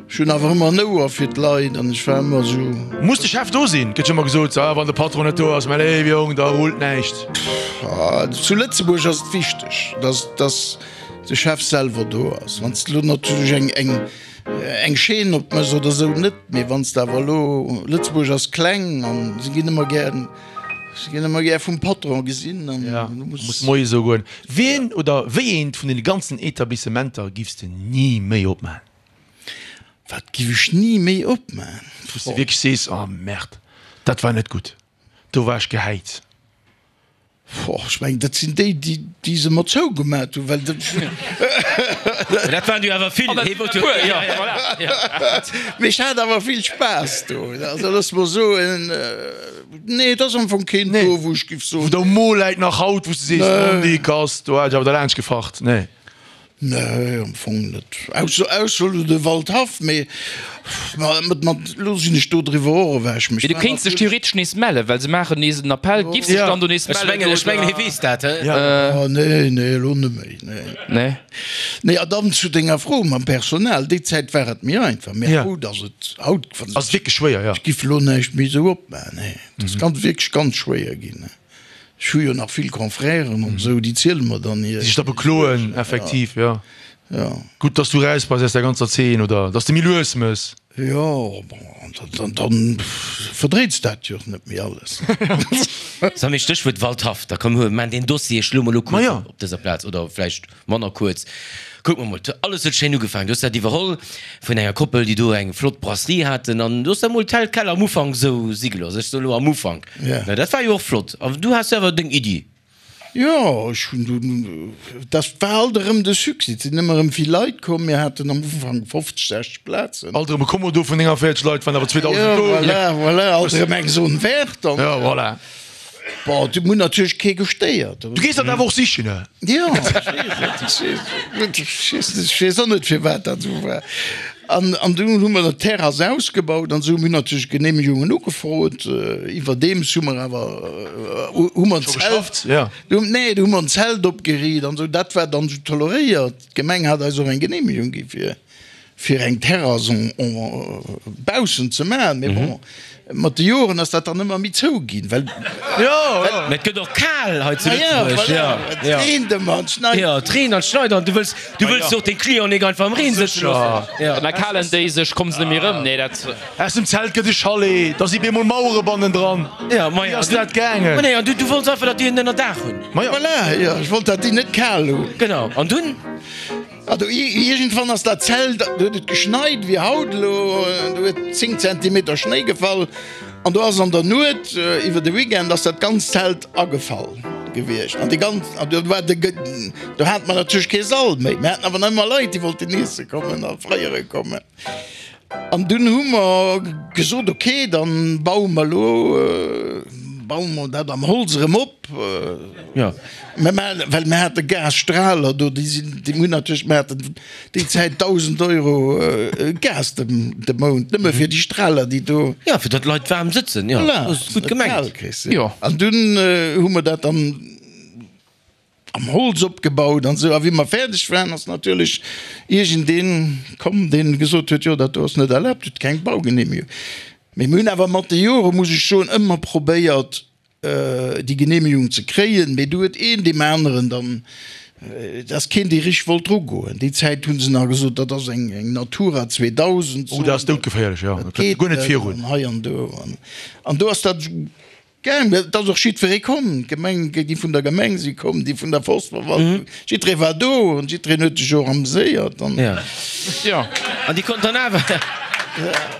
Ech hunn awer ëmmer en Ouer fir d'Leit an ech war ëmmer esou. Muss de Chef do sinn? Gëtt jo ëmmer gesot, ah, wann de Patron net do ass, mäi léiwe Jong, da rullt näischt. Zu Lëtzebuerg ass et wichteg, dass, dass de Chef selwer do ass. Wann s de elo natierlech eng, eng, eng Chaîne opméchs oder esou net, mee wann s de awer elo, Lëtzebuerg ass kleng an se ginn ëmmer gär, se ginn ëmmer gär vum Patron gesinn an Ja, du muss. muss Moie soen. Wien oder wéi eent vun deene ganzen Etablissementer giffs de ni méi opmachen? Wat giff ech ni méi opmaan? Wou s de wierklech sees, oh Merde, dat war net gutt, do war ech gehäit. Boah, ech mengen, dat sinn déi, déi, déi se mer zougemat hunn, well dat. Mä dat waren jo awer vill. Hee wollt jo. Jo, voilà. Mee ech hat awer vill Spaass do. Also looss mer soen, nee, et ass am Fong keen do, wou ech giff soen. Wou der Mo läit nach haut, wou s de sees, Mondi, Kass, do hat ech awer derlaanscht gefacht. Nee. Nee, am Fong net. Ausser, ausser elo de Waldhaff, mee mat, mat, elo sinn ech do driwwer och ewech. Mee du kéints dech theoretesch nees mellen, well se maachen nees en Appell. Giffs dech dann do nees Ech mellen mengen, ech mengen, oder? hie weess dat, he? Oh, nee, nee, elo net méi, nee. Nee. Nee, a dann zu denger Fro mam Personal, Déi Zäit war et méi einfach, mee Ja. haut ass et, haut, wann Ass et wierklech schwéier, ja. ech giff elo näischt méi esou opmaachen, nee. Et ass ganz, wierklech ganz schwéier ginn. Ech hu jo nach vill Confrèren an esou, déi ziele mer dann hir. Déi sech da bekloen, effektiv, jo. Jo. Gutt, dass du raus bass aus der ganzer Zeen, oder dass de méi lues mëss. Jo, bon, an dann verdréits dat jo och net méi alles. Sou, mee Stéchwuert Waldhaff, da komm, maan deen Dossier, schloe mer elo kuerz Ma jo. op op dëser Plaz, oder vläicht manner kuerz. Kuck mer mol, alles huet schéin ugefaangen. Du hues dat iwwerholl vun enger Koppel, déi do eng flott Brasserie haten, an du hues da mol tel quel am Ufank esou si gelooss. Ech soe lo am Ufank. Ja. Na, dat war jo och flott. An du has awer deng Iddi. Jo, ech hunn dunn, dat war alt erëm de Succès, et sinn ëmmer erëm vill Leit komm, mir haten am Ufank 50, 60 Plazen. Alt erëm e Kommodo vun 49 Leit, waren awer 2000 Jo, do. voilà, voilà, alt erëm eng Zone verte. An, Ja, voilà. bon, do hunn natierlech kee gestéiert. Du gees dat awer och sichen, ne? Jo, ech weess et, ech weess et, ech weess och net, firwat dat esou war. An, an dunn hu mer d'Terrass ausgebaut an esou. Mir hunn natierlech Genehmegungen ugefrot. Iwwerdeems hu mer awer, hu mer en Zelt, nee, do hu mer en Zelt opgeriicht an esou. Dat war dann esou toleréiert. D'Gemeng hat eis och eng Genehmegung gi fir, fir eng Terrass en, en, baussen ze maachen. Mee bon, mat de Joren ass dat dann ëmmer méi zou ginn, well. Mä et gëtt och kal hei zu Lëtzebuerg. Ja, voilà, et reent ëmmer an et schneit. Jo, et reent an et schneit an du wëlls, du wëlls jo och deng Clienten nik einfach am Reen sëtze loossen. An da kalen déi sech, kommen se net méi erëm. Nee, dat. Aus dem Zelt gëtt e Chalet, da si bemol Mauere bannendran. Ja, ma Wéi ass dat gaangen? Ma nee, an du, du wollts einfach, datt déi en Ënnerdaach hunn. Ma jo. Voilà, jo, ech wollt, datt déi net kal hunn. Genau, an dunn? Also iergendwann ass dat Zelt, do huet et geschneit wéi haut elo, do huet 10 Zentimeter Schnéi gefall an do ass an der Nuet iwwer de Weekend ass dat ganzt Zelt agefall gewiescht an déi ganz, an do war de, do hate mer natierlech kee Sall méi, mir haten awer nach ëmmer Leit déi wollten iesse kommen a feiere kommen. An dunn hu mer gesot, ok, da baue mer elo, baue mer dat am Holz erëm op. Jo. Mir maachen, well mir hate Gasstrahler do, déi sinn, déi hunn natierlech, mir haten déi Zäit 1.000 Euro Gas de, de Mount, nëmme fir déi Strahler, déi do. Jo, fir datt d'Leit waarm sëtzen, jo. Voilà. Dat ass gutt gemengt. Jo. An dunn hu mer dat dann. Am Holz opgebaut an esou. A wéi mer fäerdeg waren, ass natierlech iergendeen komm, deen gesot huet, jo, dat do ass net erlaabt, huet keng Baugenehmegung. Mee mir hunn awer mat de Jore, muss ech soen, ëmmer probéiert, déi Genehmegung ze kréien. Mee du huet een deem aneren dann, et ass keen, dee richteg wollt drugoen. Déi Zäit hu se nach gesot, dat ass eng Natura 2000 Oh, dat ass doudgeféierlech, jo, dat geet guer net virun. An hei an do. An do ass dat esou. Gaang, et ass och jiddweree komm, d'Gemeng, déi vun der Gemeng si komm, déi vun der Forstverwaltung, jiddweree war do an jiddwereen huet sech och ameséiert an. Ja. Jo. An déi konnten dann awer,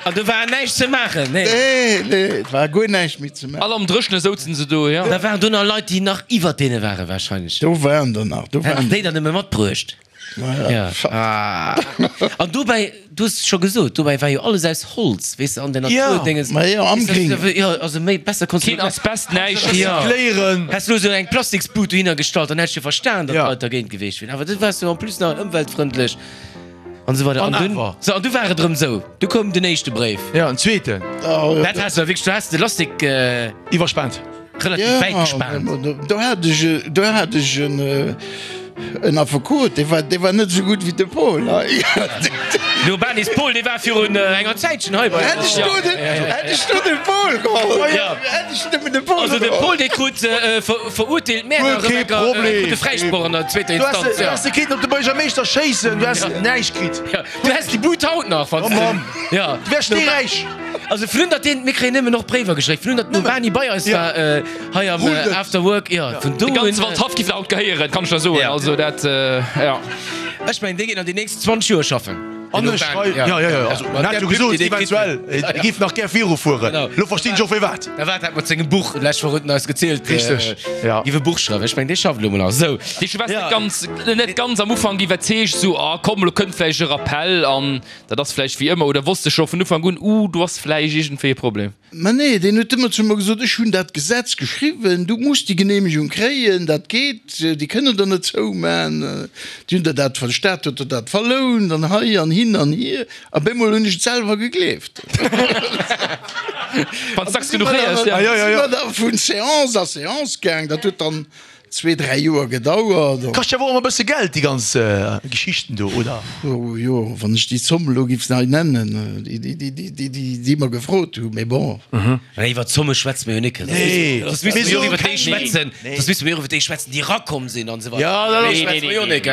an do war näischt ze maachen, nee. Nee, nee, et war guer näischt méi ze maachen. All am Dréchene souzen se do, jo. Da waren do nach Leit, déi nach iwwert deene ware wahrscheinlech. Do waren der nach, do waren. Hätten déi dann nëmme matbruecht. Ja. Ah. An dobäi, du hues et scho gesot, dobäi war jo alles aus Holz, weess de, an der Natur, Ja. Dinges. Ma jo, am Weess de, Gréngen. Jo, also méi besser konns du Keen net Asbest, näischt. Ja. Recycléieren. Häss du elo sou eng Plastiksbud dohinner gestallt, dann hätt ech jo verstan, datt Ja. d'Leit dergéint gewiescht wieren. Awer du waars jo en plus nach ëmweltfrëndlech an esou weider. An An dunn, awer. sou, an du war et erëm sou, du koum den éischte Bréif. Ja, en zweeten. Oh, Dat has du wierklech, du has de Lastik, äh, Iwwerspaant. Relativ wäit gespaant. Do hat ech, do hat ech en, en Affekot, dee war, dee war net esou gutt wéi de Paul hei. No Banis Paul, dee war virun enger Zäitchen hei bei Hätt ech do den, hätt ech do de Paul geholl, hätt ech nëmmen de Paul Also de geholl. Paul, dee krut verurteelt, mä Guer kee Problem. krut de Fräisproch an der zweeter Du häss, Instanz. du häss de kéinten op de Buergermeeschter schéissen, du häss näischt kritt. Du häss déi Bud haut nach, wann s Oh Mamm. de. Ja. Du wäers steeräich. Also vun datt deen, mir kréien nëmmen och Bréiwer geschéckt, vun datt den Bani bei eis war hei am After Work, jo, vun do De ganze un. Waldhaff giff haut gehéieren, kann ech der soen. Also dat, jo. Ech mengen, dee geet nach déi nächst 20 Joer schaffen. An ech schreiw, jo, jo, jo, also en hat jo gesot, eventuell, e giff nach gär virufueren. Elo verstinn ech och firwat. Da war dat mat sengem Buch, d'lescht Woch huet en eis gezielt, Richteg, jo. giff e Buch schreiwen. Ech mengen, dee schafft elo mol nach. Sou. Dee war net ganz, net ganz am Ufank iwwerzeegt, sou, ah komm, elo kënnt vläicht e Rappel an dat ass vläicht wéi ëmmer. Oder wosst de scho vun Ufank un, uh, do ass vläicht iergendwéi e Problem? Mä nee, deen huet ëmmer zu mer gesot, ech hunn dat Gesetz geschriwwen, du muss déi Genehmegung kréien, dat geet, déi kënnen der net zouman, déi hunn der dat, de Staat huet der dat verlount an hei an hin an hier. A bemol hunn ech et selwer gegleeft. Wann s dacks genuch héiers, ja. Si mer da vun Séance a Séance gaang, dat huet dann Zwee, dräi Joer gedauert. Kascht jo awer och ëmmer e bësse Geld, déi ganz Geschichten do, oder? Oh jo, wann ech déi Zomm elo giff hei nennen, déi mer gefrot hunn, mee bon. Mä iwwer Zomme schwätze mer jo nik. Soss misste mer jo och iwwer déi schwätzen, soss misste mer jo och iwwer déi schwätzen, déi erakomm sinn an esou weider. Iwwer déi schwätze mer jo nik.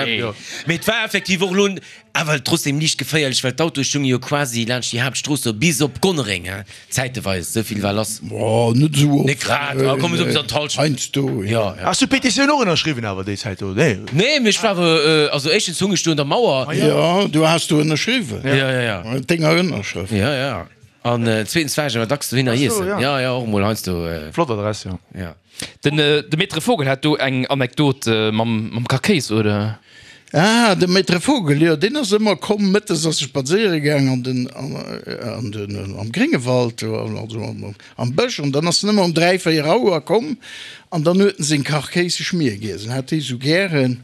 Mee et war effektiv och elo awer trotzdem liicht geféierlech, well d'Autoe stounge jo quasi laanscht déi Haaptstrooss do bis op Gonnereng, hein. Zäiteweis, esou vill war lass. Oh, net esou oft. Net grad, awer komm esou bis an d'Halschent. Heiansdo, jo. Ja, ja. Has du d'Petitioun och ënnerschriwwen awer déi Zäit do? Nee? Nee, mee ech war awer, also éischtens hung ech do un der Mauer. Jo, du has do ënnerschriwwen. Ja, ja, ja. Denger Ënnerschrëft. Ja, ja. An zweetens war ech awer dacks dohinner iessen. Ach sou, ja. Ja, ja, och emol heiansdo. Flott Adress, jo. Ja. Den de Maître Vogel hat do eng Anekdot mam Kakéis, oder? Ah, de Maître Vogel, jo, deen ass ëmmer komm, mëttes ass e spadséiere gaang an den, an den, am Gréngewald, also am Bësch, an dann ass en ëmmer um 3, 4 Auer komm an dann huet en seng Kachkéis Schmier giess, en hat déi esou gären.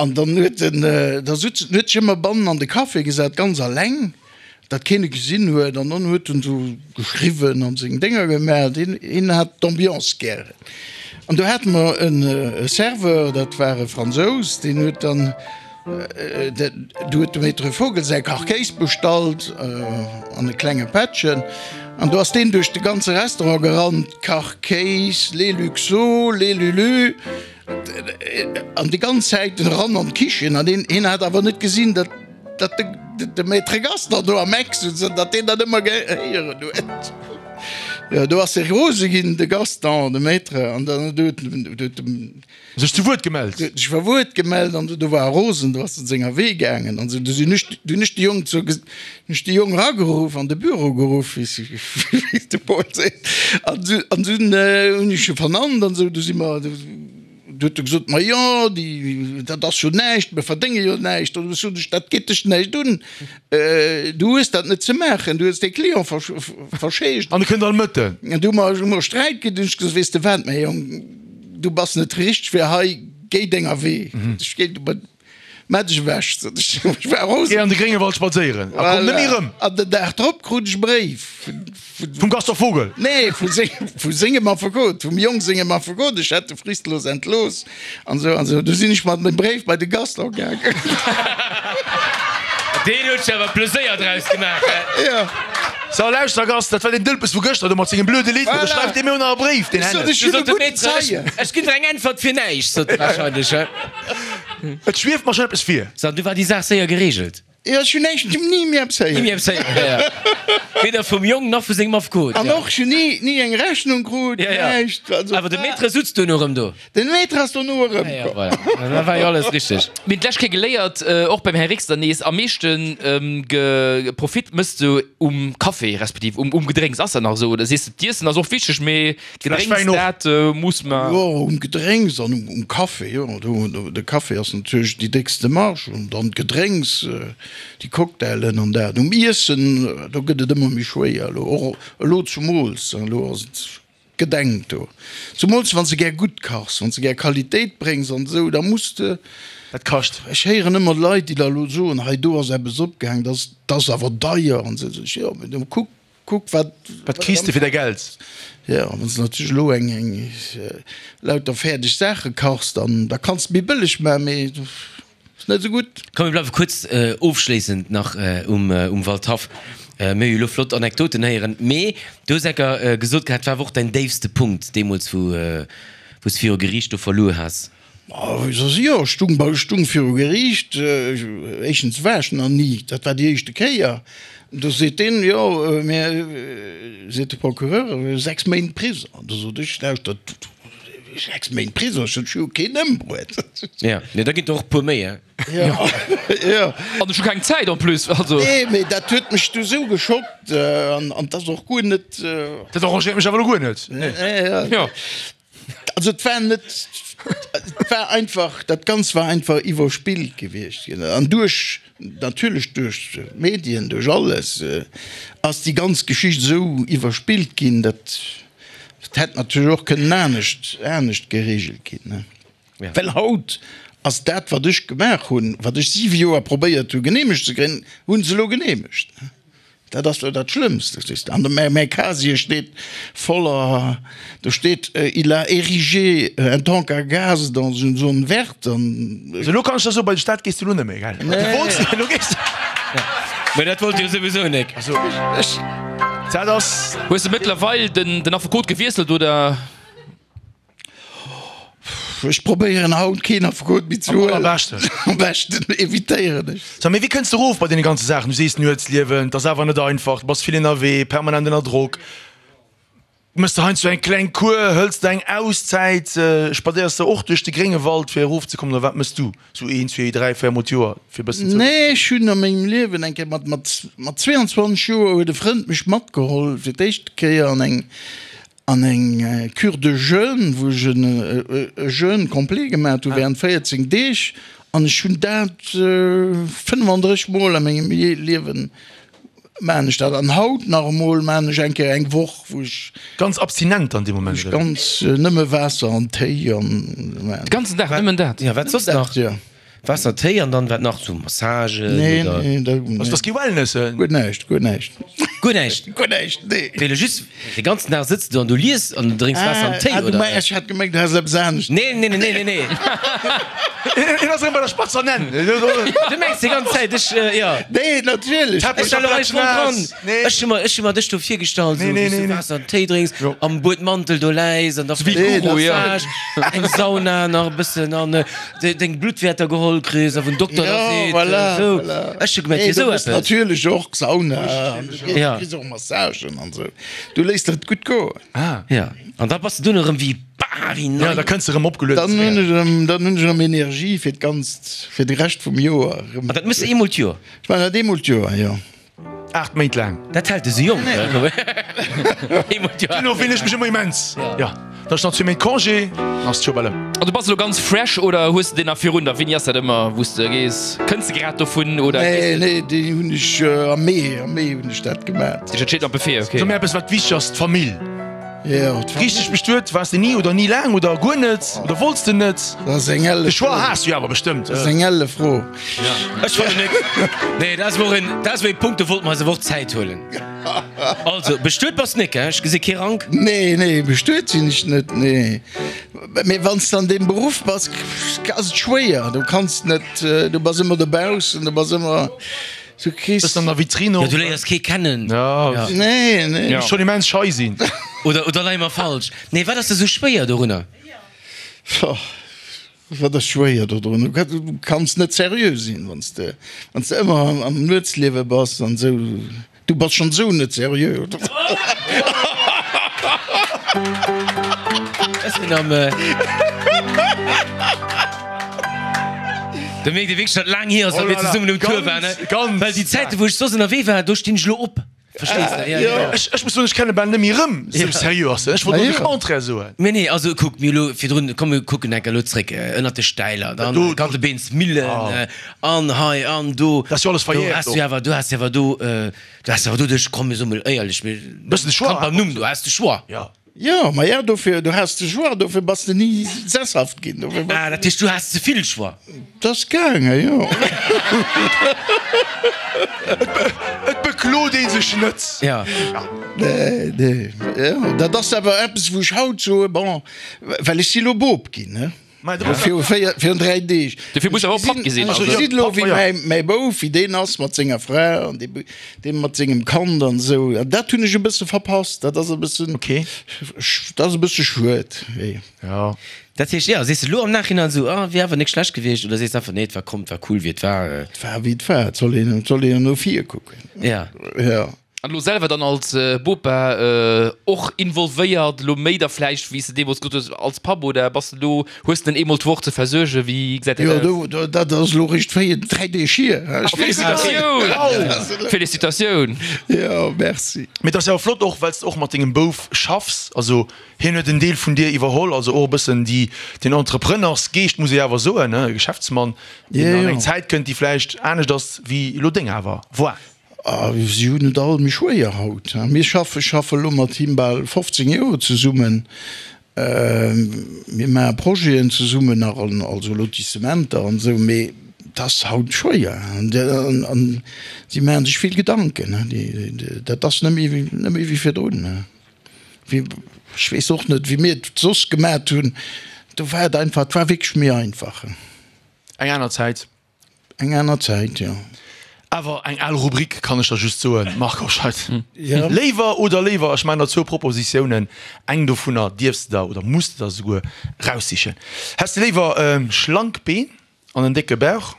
An dann huet en, da sutz, en huet sech ëmmer bannen an de Café gesat, ganz alleng. Dat keen e gesinn huet, an dann huet en esou geschriwwen an seng Dénger gemaach. Hien, hien hat d'Ambiance gären. An do hate mer en Serveur, dat war e Fransous, deen huet dann, do huet de Maître Vogel säi Kachkéis bestallt an e klenge Pättchen. An do ass deen duerch de ganze Restaurant gerannt, Kachkéis, les Luxo, les Lulu, an déi ganz Zäit eran an d'Kichen. An hien, hien hat awer net gesinn, datt. Datt de Maître Gaston do am Eck sutz an datt deen dat ëmmer gehéieren huet. Jo, do ass e rose ginn, de Gaston, de Maître, an dann huet en. Sech zu Wuert gemellt. Huet sech zu Wuert gemellt an do war e rosen, do ass en senger Wee gaangen an esou. Du sinn ech, du hunn ech de Jong zur, hunn ech de Jong erageruff, an de Büro geruff, wéi de Paul seet, an dunn hunn ech e vernannt an esou. Du si mer. Du huet e gesot, Ma jo, déi, dat ass jo näischt, mir verdénge jo näischt. An du sot ech, Dat geet dech näischt un, du hues dat net ze maachen, du hues dee Client verscheegt. An e kënnt all Mëtten. An du hu mer, hu mer Sträit kritt, hunn ech gesot, Weess de wat, mäi Jong, du bass net richteg fir hei, géi denger Wee. Ech géi, Maach dech ewech, sot ech. Ech war rosen. Géi an de Gréngewald spadséieren a komm net méi erëm. An den Dag drop krut ech e Bréif vun. Vum Gaston Vogel? Nee, vu sengem Affekot, vum Jong sengem Affekot. Ech hätt e fristlos entlooss an esou an esou. Du sinn ech mat dem Bréif bei de Gaston gaangen. Deen huet sech awer Pleséier draus gemaach, he? Jo. So, lauschter Gast, dat war deen Dëlpes vu gëschter do mat sengem blöde Lidd. Voilà. Da schreift dee mir och nach e Bréif, deen Ech sot, ech hunn e gudden Zeien. Ech ginn der eng Äntwert fir näischt, sot e warscheinlech, he? Et schwieft mer schon eppes vir. So, an du war déi Saach séier geregelt? Jo, ech hunn näischt, ni méi eppes héieren. Ni méi eppes héieren, ja, ja. Weder vum Jong nach vu sengem Affekot. An och, ech hunn ni, ni eng Rechnung krut, Ja, ja. näischt. Also, Awer de Maître sutz duerno erëm do. Den Maître ass dono erëm Ja, ja, komm. voilà. Da war jo alles richteg. Mir hunn d'lescht Kéier geléiert, och beim Här Rixter nees, am meeschte ge Profit mëss du um Café respektiv um, um Gedrénks. Ass dat nach esou oder sees de, d'Iessen ass och wichteg, mee Gedrénks, dat muss mer. Jo, um Gedrénks an um Café, jo. De Café ass natierlech déi déckste Marge an dann d'Gedrénks, déi Cocktailen an dat. Um Iessen, do gëtt et ëmmer méi schwéier elo, och elo zumools, elo ass et gedenkt do. Zumools wann s de gär gutt kachs, wann s de gär Qualitéit bréngs an esou, da muss de. Dat kascht. Ech héieren ëmmer Leit, déi da elo soen, hei do ass eppes opgaang, dat ass awer deier an esou. Sot ech, jo, mee da kuck, Kuck wat. Wat kriss de fir däi Geld? Jo, wann s de natierlech elo eng eng lauter fäerdeg Saache kachs, dann da kanns de méi bëlleg maachen, mee ass net esou gutt. Komm mir bleiwe kuerz ofschléissend nach um um Waldhaff. Mir hu jo elo flott Anekdoten héieren, mee du hues enker gesot gehat, et war awer och däin déifste Punkt deemools wou wou s de viru Geriicht do verluer has. Jo, ech stung bei, ech stung viru Geriicht. Éischtens war ech nach ni, dat war déi éischte Kéier. Do seet deen, jo, mä, seet de Procureur, 6 Méint Prisong. An do sot ech, lauschtert, 6 Méint Prisong, ech sot, ech hu jo keen ëmbruet. Jo, nee, da ginn der och e puer méi, hein. Jo, jo. An ech hu keng Zäit en plus, also. Nee, mee dat huet mech du sou geschockt an 't ass och guer net. Dat arrangéiert mech awer elo guer net, nee. Jo. Also et war net, et war einfach, dat Ganzt war einfach iwwerspillt gewiescht. An duerch, natierlech duerch d'Medien, duerch alles, ass déi ganz Geschicht esou iwwerspillt ginn, dat hätt natierlech och kënnen anescht, anescht geregelt ginn. Well haut ass dat, wat ech gemaach hunn, wat ech siwe Joer probéiert hu geneemegt ze kréien, hu se elo geneemegt. Dat ass jo dat Schlëmmst, verstees de. An de mäi Casier steet voller, do steet, il a érigé un tank à gaz dans une zone verte an. Also elo kann ech der soen, bei de Staat gees de elo net méi, gell? Du wollts, elo gees de. Mä dat wollt jo souwisou nek. Also ech, dat ass. Hues de mëttlerweil den Affekot gewiesselt, oder? Ech probéieren haut keen Affekot méi ze huelen. Am allerbeschten. Am beschten evitéieren ech. Sag, mee wéi kënns de erof bei deene ganze Saachen? Du sees Nuetsliewen, 't ass awer net einfach, du bass vill ënnerwee, permanent ënner Drock. Mëss de heiansdo eng kleng Kur, hëls de eng Auszäit, spadséiers de och duerch de Gréngewald fir erofzekommen oder wat mëss du sou een, zwee, dräi, véier mol d'Joer fir e bëssen ze. Nee, ech hunn a mengem Liewen eng Kéier mat, mat, mat 22 Joer huet e Frënd mech matgeholl fir d'éischt Kéier an eng, An eng Cure de jeûne, wou ech e Jeûne complet gemaat hu während 14 Deeg an ech hunn dat 35 mol a mengem Liewen maan ech dat an haut nach emol maan ech eng Kéier eng Woch wou ech Ganz abstinent dann dee Moment, oder? Ganz nëmme Waasser an Téi an de ganzen Dag nëmmen dat? Jo, wat soss nach? Waasser, Téi an dann wat nach? Sou Massagen Nee, oder? nee, dat, nee. Also, dat ass kee Wellness, eh? Guer näischt, guer näischt. Guer näischt? Guer näischt, nee. Wéi elo just de ganzen Dag sëtz du an du lies an du drénks Waasser an Téi, Ah, du oder? meng, ech hat gemengt, du häss eppes anescht. Nee, nee, nee, nee, nee, nee. Hien ass erëm bei der spatzer Nenn. Du mengs déi ganz Zäit, ech, jo. Nee, natierlech. Ech war elo hei voll dran. Nee. Ech hu mer, ech hu mer dech do virgestallt, Nee, sou nee, wéi s du nee, nee. Waasser an Téi drénks, Jo. am Buedmantel do läis an da Wéi Guru, jo. Massage, eng Sauna nach e bëssen an. Deng Bluttwäerter geholl kriss a vun Dokter da seet, esou, ech hu gemengt, wier esou eppes. Natierlech och Sauna, du kriss och Massagen an esou, du léiss der et gutt goen. Jo, an da bass de dunn erëm wéi, bah, wéi nei. Jo, da kënns de erëm opgelueden zeréck. Dann hunn ech erëm, dann hunn ech erëm Energie fir d'ganzt, fir de Rescht vum Joer erëm. An dat méchs de eemol d'Joer? Ech maachen dat eemol d'Joer, jo. 8 Méint laang. Dat hält e sou jonk. Duerno fillen ech mech ëmmer immens. Jo, dann ech nach zwee Méint Congé, dann ass d'Joer bal ëm. An du bass elo ganz fresh oder hues de deen nach virun der? Wéini ass dat ëmmer wou s de gees? Kënns de grad dovun oder Nee, gees de? nee, déi hunn ech am Mee, am Mee hunn ech dat gemat. Dat steet am Buffet, ok. So mir eppes wat wichteg ass, d'Famill. Jo, d'Famill. Richteg bestuet waars de ni oder ni laang oder guer net oder wollts de net? Dat ass eng elle De Choix Fro. has du jo awer bestëmmt. Dat ass eng elle Fro. Ech fannen net. Nee, dat ass wor en, dat ass wor e Punkt, do wollte mer eis awer och Zäit huelen. Also, bestuet bass nik, hein? Ech gesi kee Rank. Nee, nee, bestuet sinn ech net, nee. Mee wann s de an deem Beruff bass, ass et schwéier. Du kanns net, du bass ëmmer dobaussen, du bass ëmmer, du kriss. Bëssen an der Vitrine Ja, och. du léiers kee kennen. Ja. Nee, nee. Muss schonn immens schei sinn. Oder, oder leie mer falsch? Nee, wat ass da sou schwéier dorunner? Pff. Wat ass schwéier dodrun? Du kanns net seriö sinn, wann s de, wann s de ëmmer am Nuetsliewe bass an esou. Du bass schonn esou net seriö. Ech sinn am. Do mierkt ee wierklech, datt et laang hier ass, datt mir zesummen um Tour waren. Well déi Zäite wou ech soss ënnerwee war, do stinn ech elo op. Verstees de? Ja, ja. Ech, ech muss soen, ech kenne bal net méi erëm, sou seriö ass en. Ech wollt elo de Contraire soen. Nee, nee, also kuck, mir elo virdrun, komm mir kucken enker elo zréck, ënnert de Stäiler, dann Do, Kantebeensmillen, an hei an do. Dat ass jo alles Do verjährt has du och. awer, du has awer do, du has awer doduerch, komm mir soe mol éierlech, mir, Bëssen de Choix. Kand beim Numm, du has de Choix. Ja. Jo, ma ja, dofir, du has de Choix, dofir bass de ni sesshaft ginn. Dofir bass Ah, dat heescht, du has ze vill Choix. Dat ass gaangen, jo. Et beklot ee sech net. Ja. Nee, nee, jo, dat ass awer eppes, wou ech haut soe, bon, well ech si lo Bop ginn, ne. Viru 4, virun 3 Deeg. Dofir muss awer och Papp gi sinn. Ech gesinn elo, wéi mäi, mäi Bouf, wéi deen ass mat senger Fra an dee, dee mat sengem Kand an esou. An dat hunn ech e bësse verpasst. Dat ass e bëssen, dat ass e bësse schued, wéi. Jo. Dat heescht, jo, sees de elo am Nachhinein esou, ah, wier awer nik schlecht gewiescht, oder sees de einfach, nee, et war komm, et war cool, wéi et war? Et war, wéi et war. Et soll een, et soll een no vir kucken. Ja. Jo. An elo selwer dann als Bopa och involvéiert, elo méi da vläicht wéi s de deemools gesot hues als Papp, oder bass de do, hues de en eemol d'Woch ze versuergen, wéi gesäit dat aus? Jo, do, dat ass elo réischt 4, 3 Deeg hier. Felicitatioun! Felicitatioun! Jo, merci. Mee et ass jo awer flott och, well s de och mat dengem Bouf schaffs, also hien huet en Deel vun dir iwwerholl, also och e bëssen déi, den Entrepreneursgeescht, muss ee jo awer soen, e Geschäftsmann, deen an eng Zäit kënnt, déi vläicht anescht ass wéi elo deng awer war. A si hunn et all méi schwéier haut. Mir schaffen, ech schaffe elo mat him bal 15 Joer zesummen. Mir maache Projeten zesummen nach, also Lotissementer an esou, mee et ass haut schwéier. An si maache sech vill Gedanken. Dat ass net méi, net méi wéi virdrun. Ech weess och net, wéi mir et soss gemat hunn. Do war et einfach, et war wierklech méi einfach. Eng aner Zäit. Eng aner Zäit, jo. Awer eng al Rubrik, kann ech der just soen, Marc Hoscheid. Léiwer oder léiwer, ech maachen der zwou Propositiounen, eng dovunner dierfs de der oder muss de der esouguer raussichen. Häss de léiwer schlank Been an en décke Bauch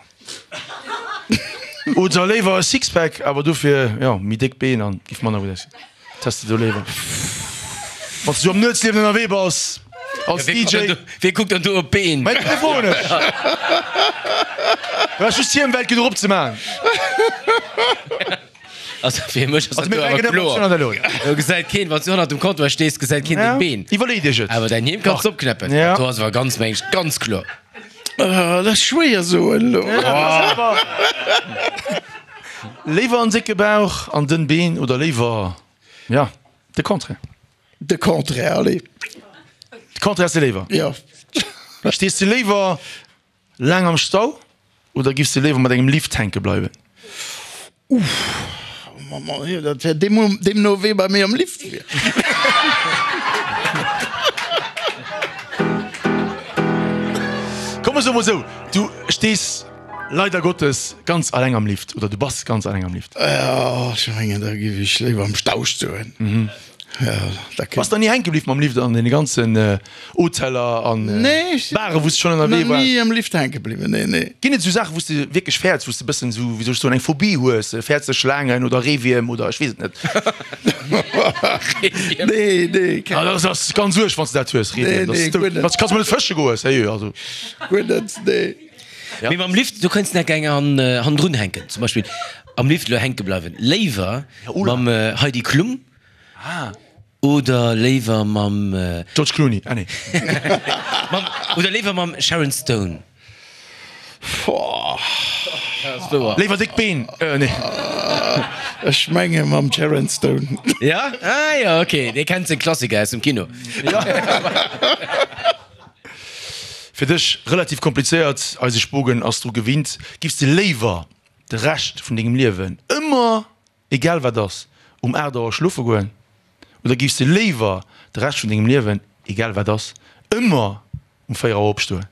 oder léiwer e Sixpack, awer dofir, jo, méi déck Been an giff manner gutt aussinn? Wat häss de do léiwer, wann s de sou am Nuetsliewen ënnerwee bass als DJ? Wee kuckt dann do op d'Been? Mä dofir froen ech. Du has just hir Welt genuch opzemaachen. Also fir mech ass dat do awer kloer. Do gesäit keen, wann s du hannert dem Comptoir stees, gesäit keen deng Been. Iwwerlee dech et. Awer däin Hiem kanns de opknäppen. Dat do ass awer ganz, meng ech, ganz kloer. Dat ass schwéier soen elo. Léiwer en décke Bauch an dënn Been oder léiwer, ja, de Contraire? De Contraire, allez. De Contraire ass de léiwer? Jo. Stees de léiwer laang am Stau oder giffs de léiwer mat engem Lift hänke bleiwen? Uff, dat wär deemno wee bei mir am Lift wier. Komm ech soe mol esou, du stees leider Gottes ganz alleng am Lift oder du bass ganz alleng am Lift. Jo, ech mengen da giff ech léiwer am Stau stoen. Bass der ni hänke bliww mam Lift an deene ganzen Hoteller an Bare wou s de schonn ënnerwee waars? Nee, ech sinn nach ni am Lift hänke bliwwen, nee, nee. Ginn et esou Saachen wou s de wierklech fäerts, wou s de e bëssen esou, wéi soll ech soen, eng Phobie hues? Fäerts de Schlaangen oder Reewierm oder ech weess et net? Nee, nee, keng. Ah, dat ass ganz uerg, wann s de dat hues, Reewierm. Nee, nee, guer net. Kanns mol net fësche goen, sérieux, also. Guer net, nee. Mee mam Lift, do kënns de nach eng hannendrun hänken. Zum Beispill am Lift elo hänke bleiwen, léiwer mam Heidi Klum oder léiwer mam. George Clooney, ah nee. Mam, oder léiwer mam Sharon Stone? Léiwer déck Been, nee. Ech menge mam Sharon Stone. Ja? Ah jo, ok, dee kennt seng Klassiker aus dem Kino. Fir dech relativ komplizéiert, eise Spogen ass dru gewinnt. Giffs de léiwer de Rescht vun dengem Liewen ëmmer, egal wat ass, um 8 Auer schlofe goen oder giffs de léiwer de Rescht vun dengem Liewen, egal wat ass, ëmmer um 4 Auer opstoen?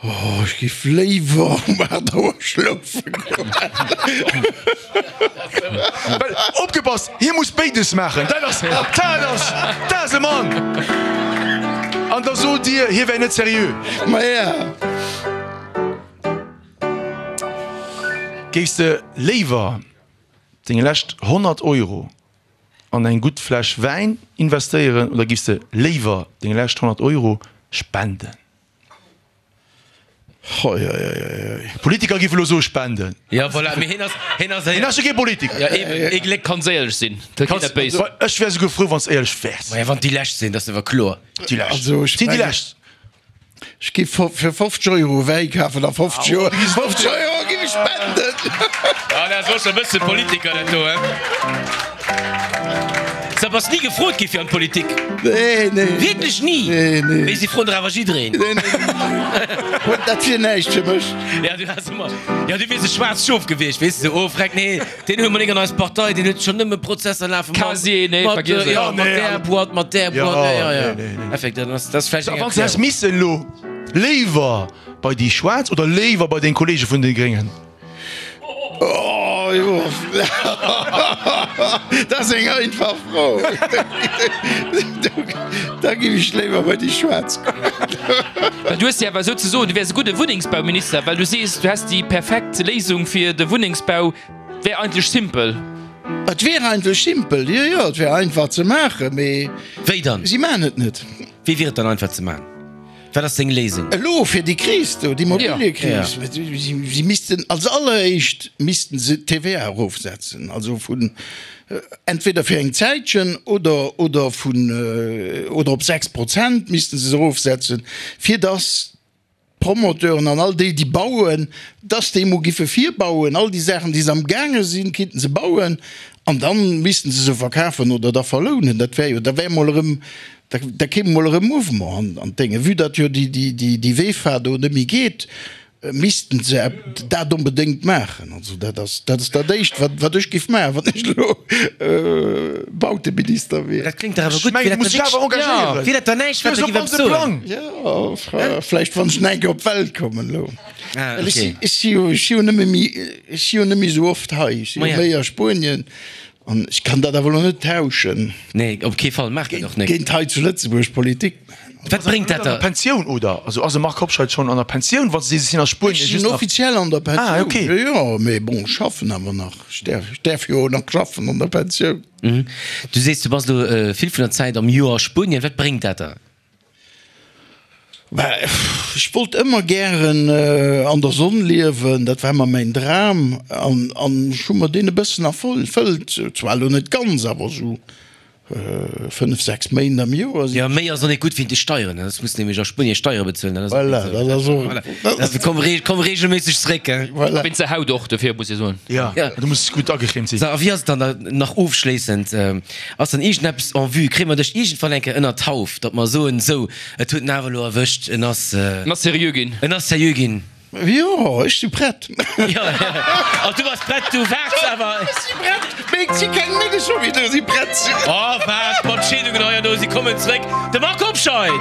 Oh, ech giff léiwer um 8 Auer schlofe goen. Well, opgepasst, hie muss béides maachen. Dat ass, dat ass, dat ass e Mann! An da sot Dir, hie wär net seriö. Maja. Géifs de léiwer deng lescht 100 Euro an eng gutt Fläsch Wäin investéieren oder giffs de léiwer deng lescht 100 Euro spenden? Hoi hoi hoi hoi. Politiker giff elo soe spenden. Ja voilà, mee hien ass, hien ass. Hien ass jo kee Politiker. Ja eben, ee Gléck kann séierlech sinn, dat geet net béis. Ech wär souguer frou wann s de éierlech wäers. Maja wann déi lescht sinn, dat ass awer kloer. Déi lescht. Also ech Sinn déi mengen, lescht. ech giff fir 50 Euro Wäi kafen a 50 Euro, 50 Euro giff ech spenden. Ah dat ass och scho e bësse Politiker dat do, he? Sa bass ni gefrot gi fir an d'Politik? Nee, nee. Wierklech ni? Nee, nee. Mee si froen der awer jiddereen. Nee, nee, nee. Dat wier näischt fir mech. Ja, du has ëmmer, ja, du wiers e schwaarzt Schof gewiescht, weess de, oh freck, nee, deen huele mer nik an eis Partei, deen huet schonn nëmme Prozesser lafen mat, Casier, nee, mat, vergiess et. ja, mat där Boîte, mat där Boîte, ja, ja, ja. Nee, nee, nee. Effekt, dat ass, dat ass vläicht eng Wann s de häss Erklärung. missen elo léiwer bei déi Schwaarz oder léiwer bei deng Kollege vun de Gréngen? Oh jo, dat ass eng einfach Fro. Da géif ech léiwer bei déi Schwaarz goen. Well du hues jo awer souzesoen, du wäers e gudde Wunnengsbauminister, well du sees, du häss déi perfekt Léisung fir de Wunnengsbau, wär eigentlech simpel. Et wier eigentlech simpel, jo, jo, et wär einfach ze maachen, mee Wéi dann? si maachen et net. Wéi wier et dann einfach ze maachen? Wat ass deng Léisung? Elo fir déi Kris do, d'Immobiliëkris, si missten als alleréischt missten se d'TVA erofsetzen, also vun entweder fir eng Zäitchen oder oder vun oder op 6 Prozent missten se se erofsetzen, fir datt d'Promoteuren an all déi, déi bauen, dass déi emol giffe virbauen, all déi Saachen, déi se amgaange sinn, kinnten se bauen an da missten se se verkafen oder da verlounen. Dat wär jo, da wär emol erëm, da, da kéim emol erëm Mouvement an, an d'Dénge. Vue datt jo déi, déi, déi, déi Vefa do net méi geet, missten se dat onbedéngt maachen. Also dat ass, dat ass dat Éischt, wat, wat ech giff maachen, wann ech elo Bauteminister wier. Dat kléngt dach awer gutt. Wier dat da wierklech, wier dat da näischt, wat der giff eppes soen? Jo, vläicht wann ech nach eng Kéier op d'Welt kommen elo. Well ech si, ech si jo, ech si jo nëmme méi, ech si jo net méi esou oft hei. Ech si jo méi a Spuenien an ech kann dat awer elo net tauschen. Nee, op kee Fall, maach dat och net. Géint hei zu Lëtzebuerg Politik maachen. Wat bréngt dat der? Pensioun oder? Also ass de Marc Hobscheit schonn an der Pensioun, wann s de sees, ech sinn a Spuenien just nach. Ech sinn offiziell an der Pensioun. Ah, okay. Jo, jo, mee bon, ech schaffen awer nach. Ech däerf, ech däerf jo nach schaffen an der Pensioun. Du sees, du bass elo vill vun der Zäit am Joer a Spuenien. Wat bréngt dat der? Bah, ech wollt ëmmer gären an der Sonn liewen, dat war ëmmer mäin Dram an an ech hu mer deen e bëssen erfëllt, zwar elo net ganz, awer esou 5, 6 Méint am Joer sinn. Jo, méi ass och net gutt wéint de Steieren, ne? Ech muss nämlech a Spuenie Steiere bezuelen, dat ass och net esou. Voilà, dat ass och. Voilà, also komm, komm reegelméisseg zréck, hein. Voilà. Wéinst der Haut och, dofir muss ee soen. Jo, du muss gutt agecremt sinn. So, a wéi ass et dann nach ofschléissend, Ass dann iergendeppes en vue? Kréie mer dech iergendwann eng Kéier ënner d'Hauf, datt mer soen, sou, et huet en awer elo erwëscht, en ass. En ass seriö ginn. En ass seriö ginn. Jo, ech si prett. Jo, oh, du bass prett, du waarts awer. Ech si prett, mee et si keng Méi scho wéi do si prett sinn. Oh, waart mat Scheedungen hei an do, si kommen zréck. De Marc Hobscheit!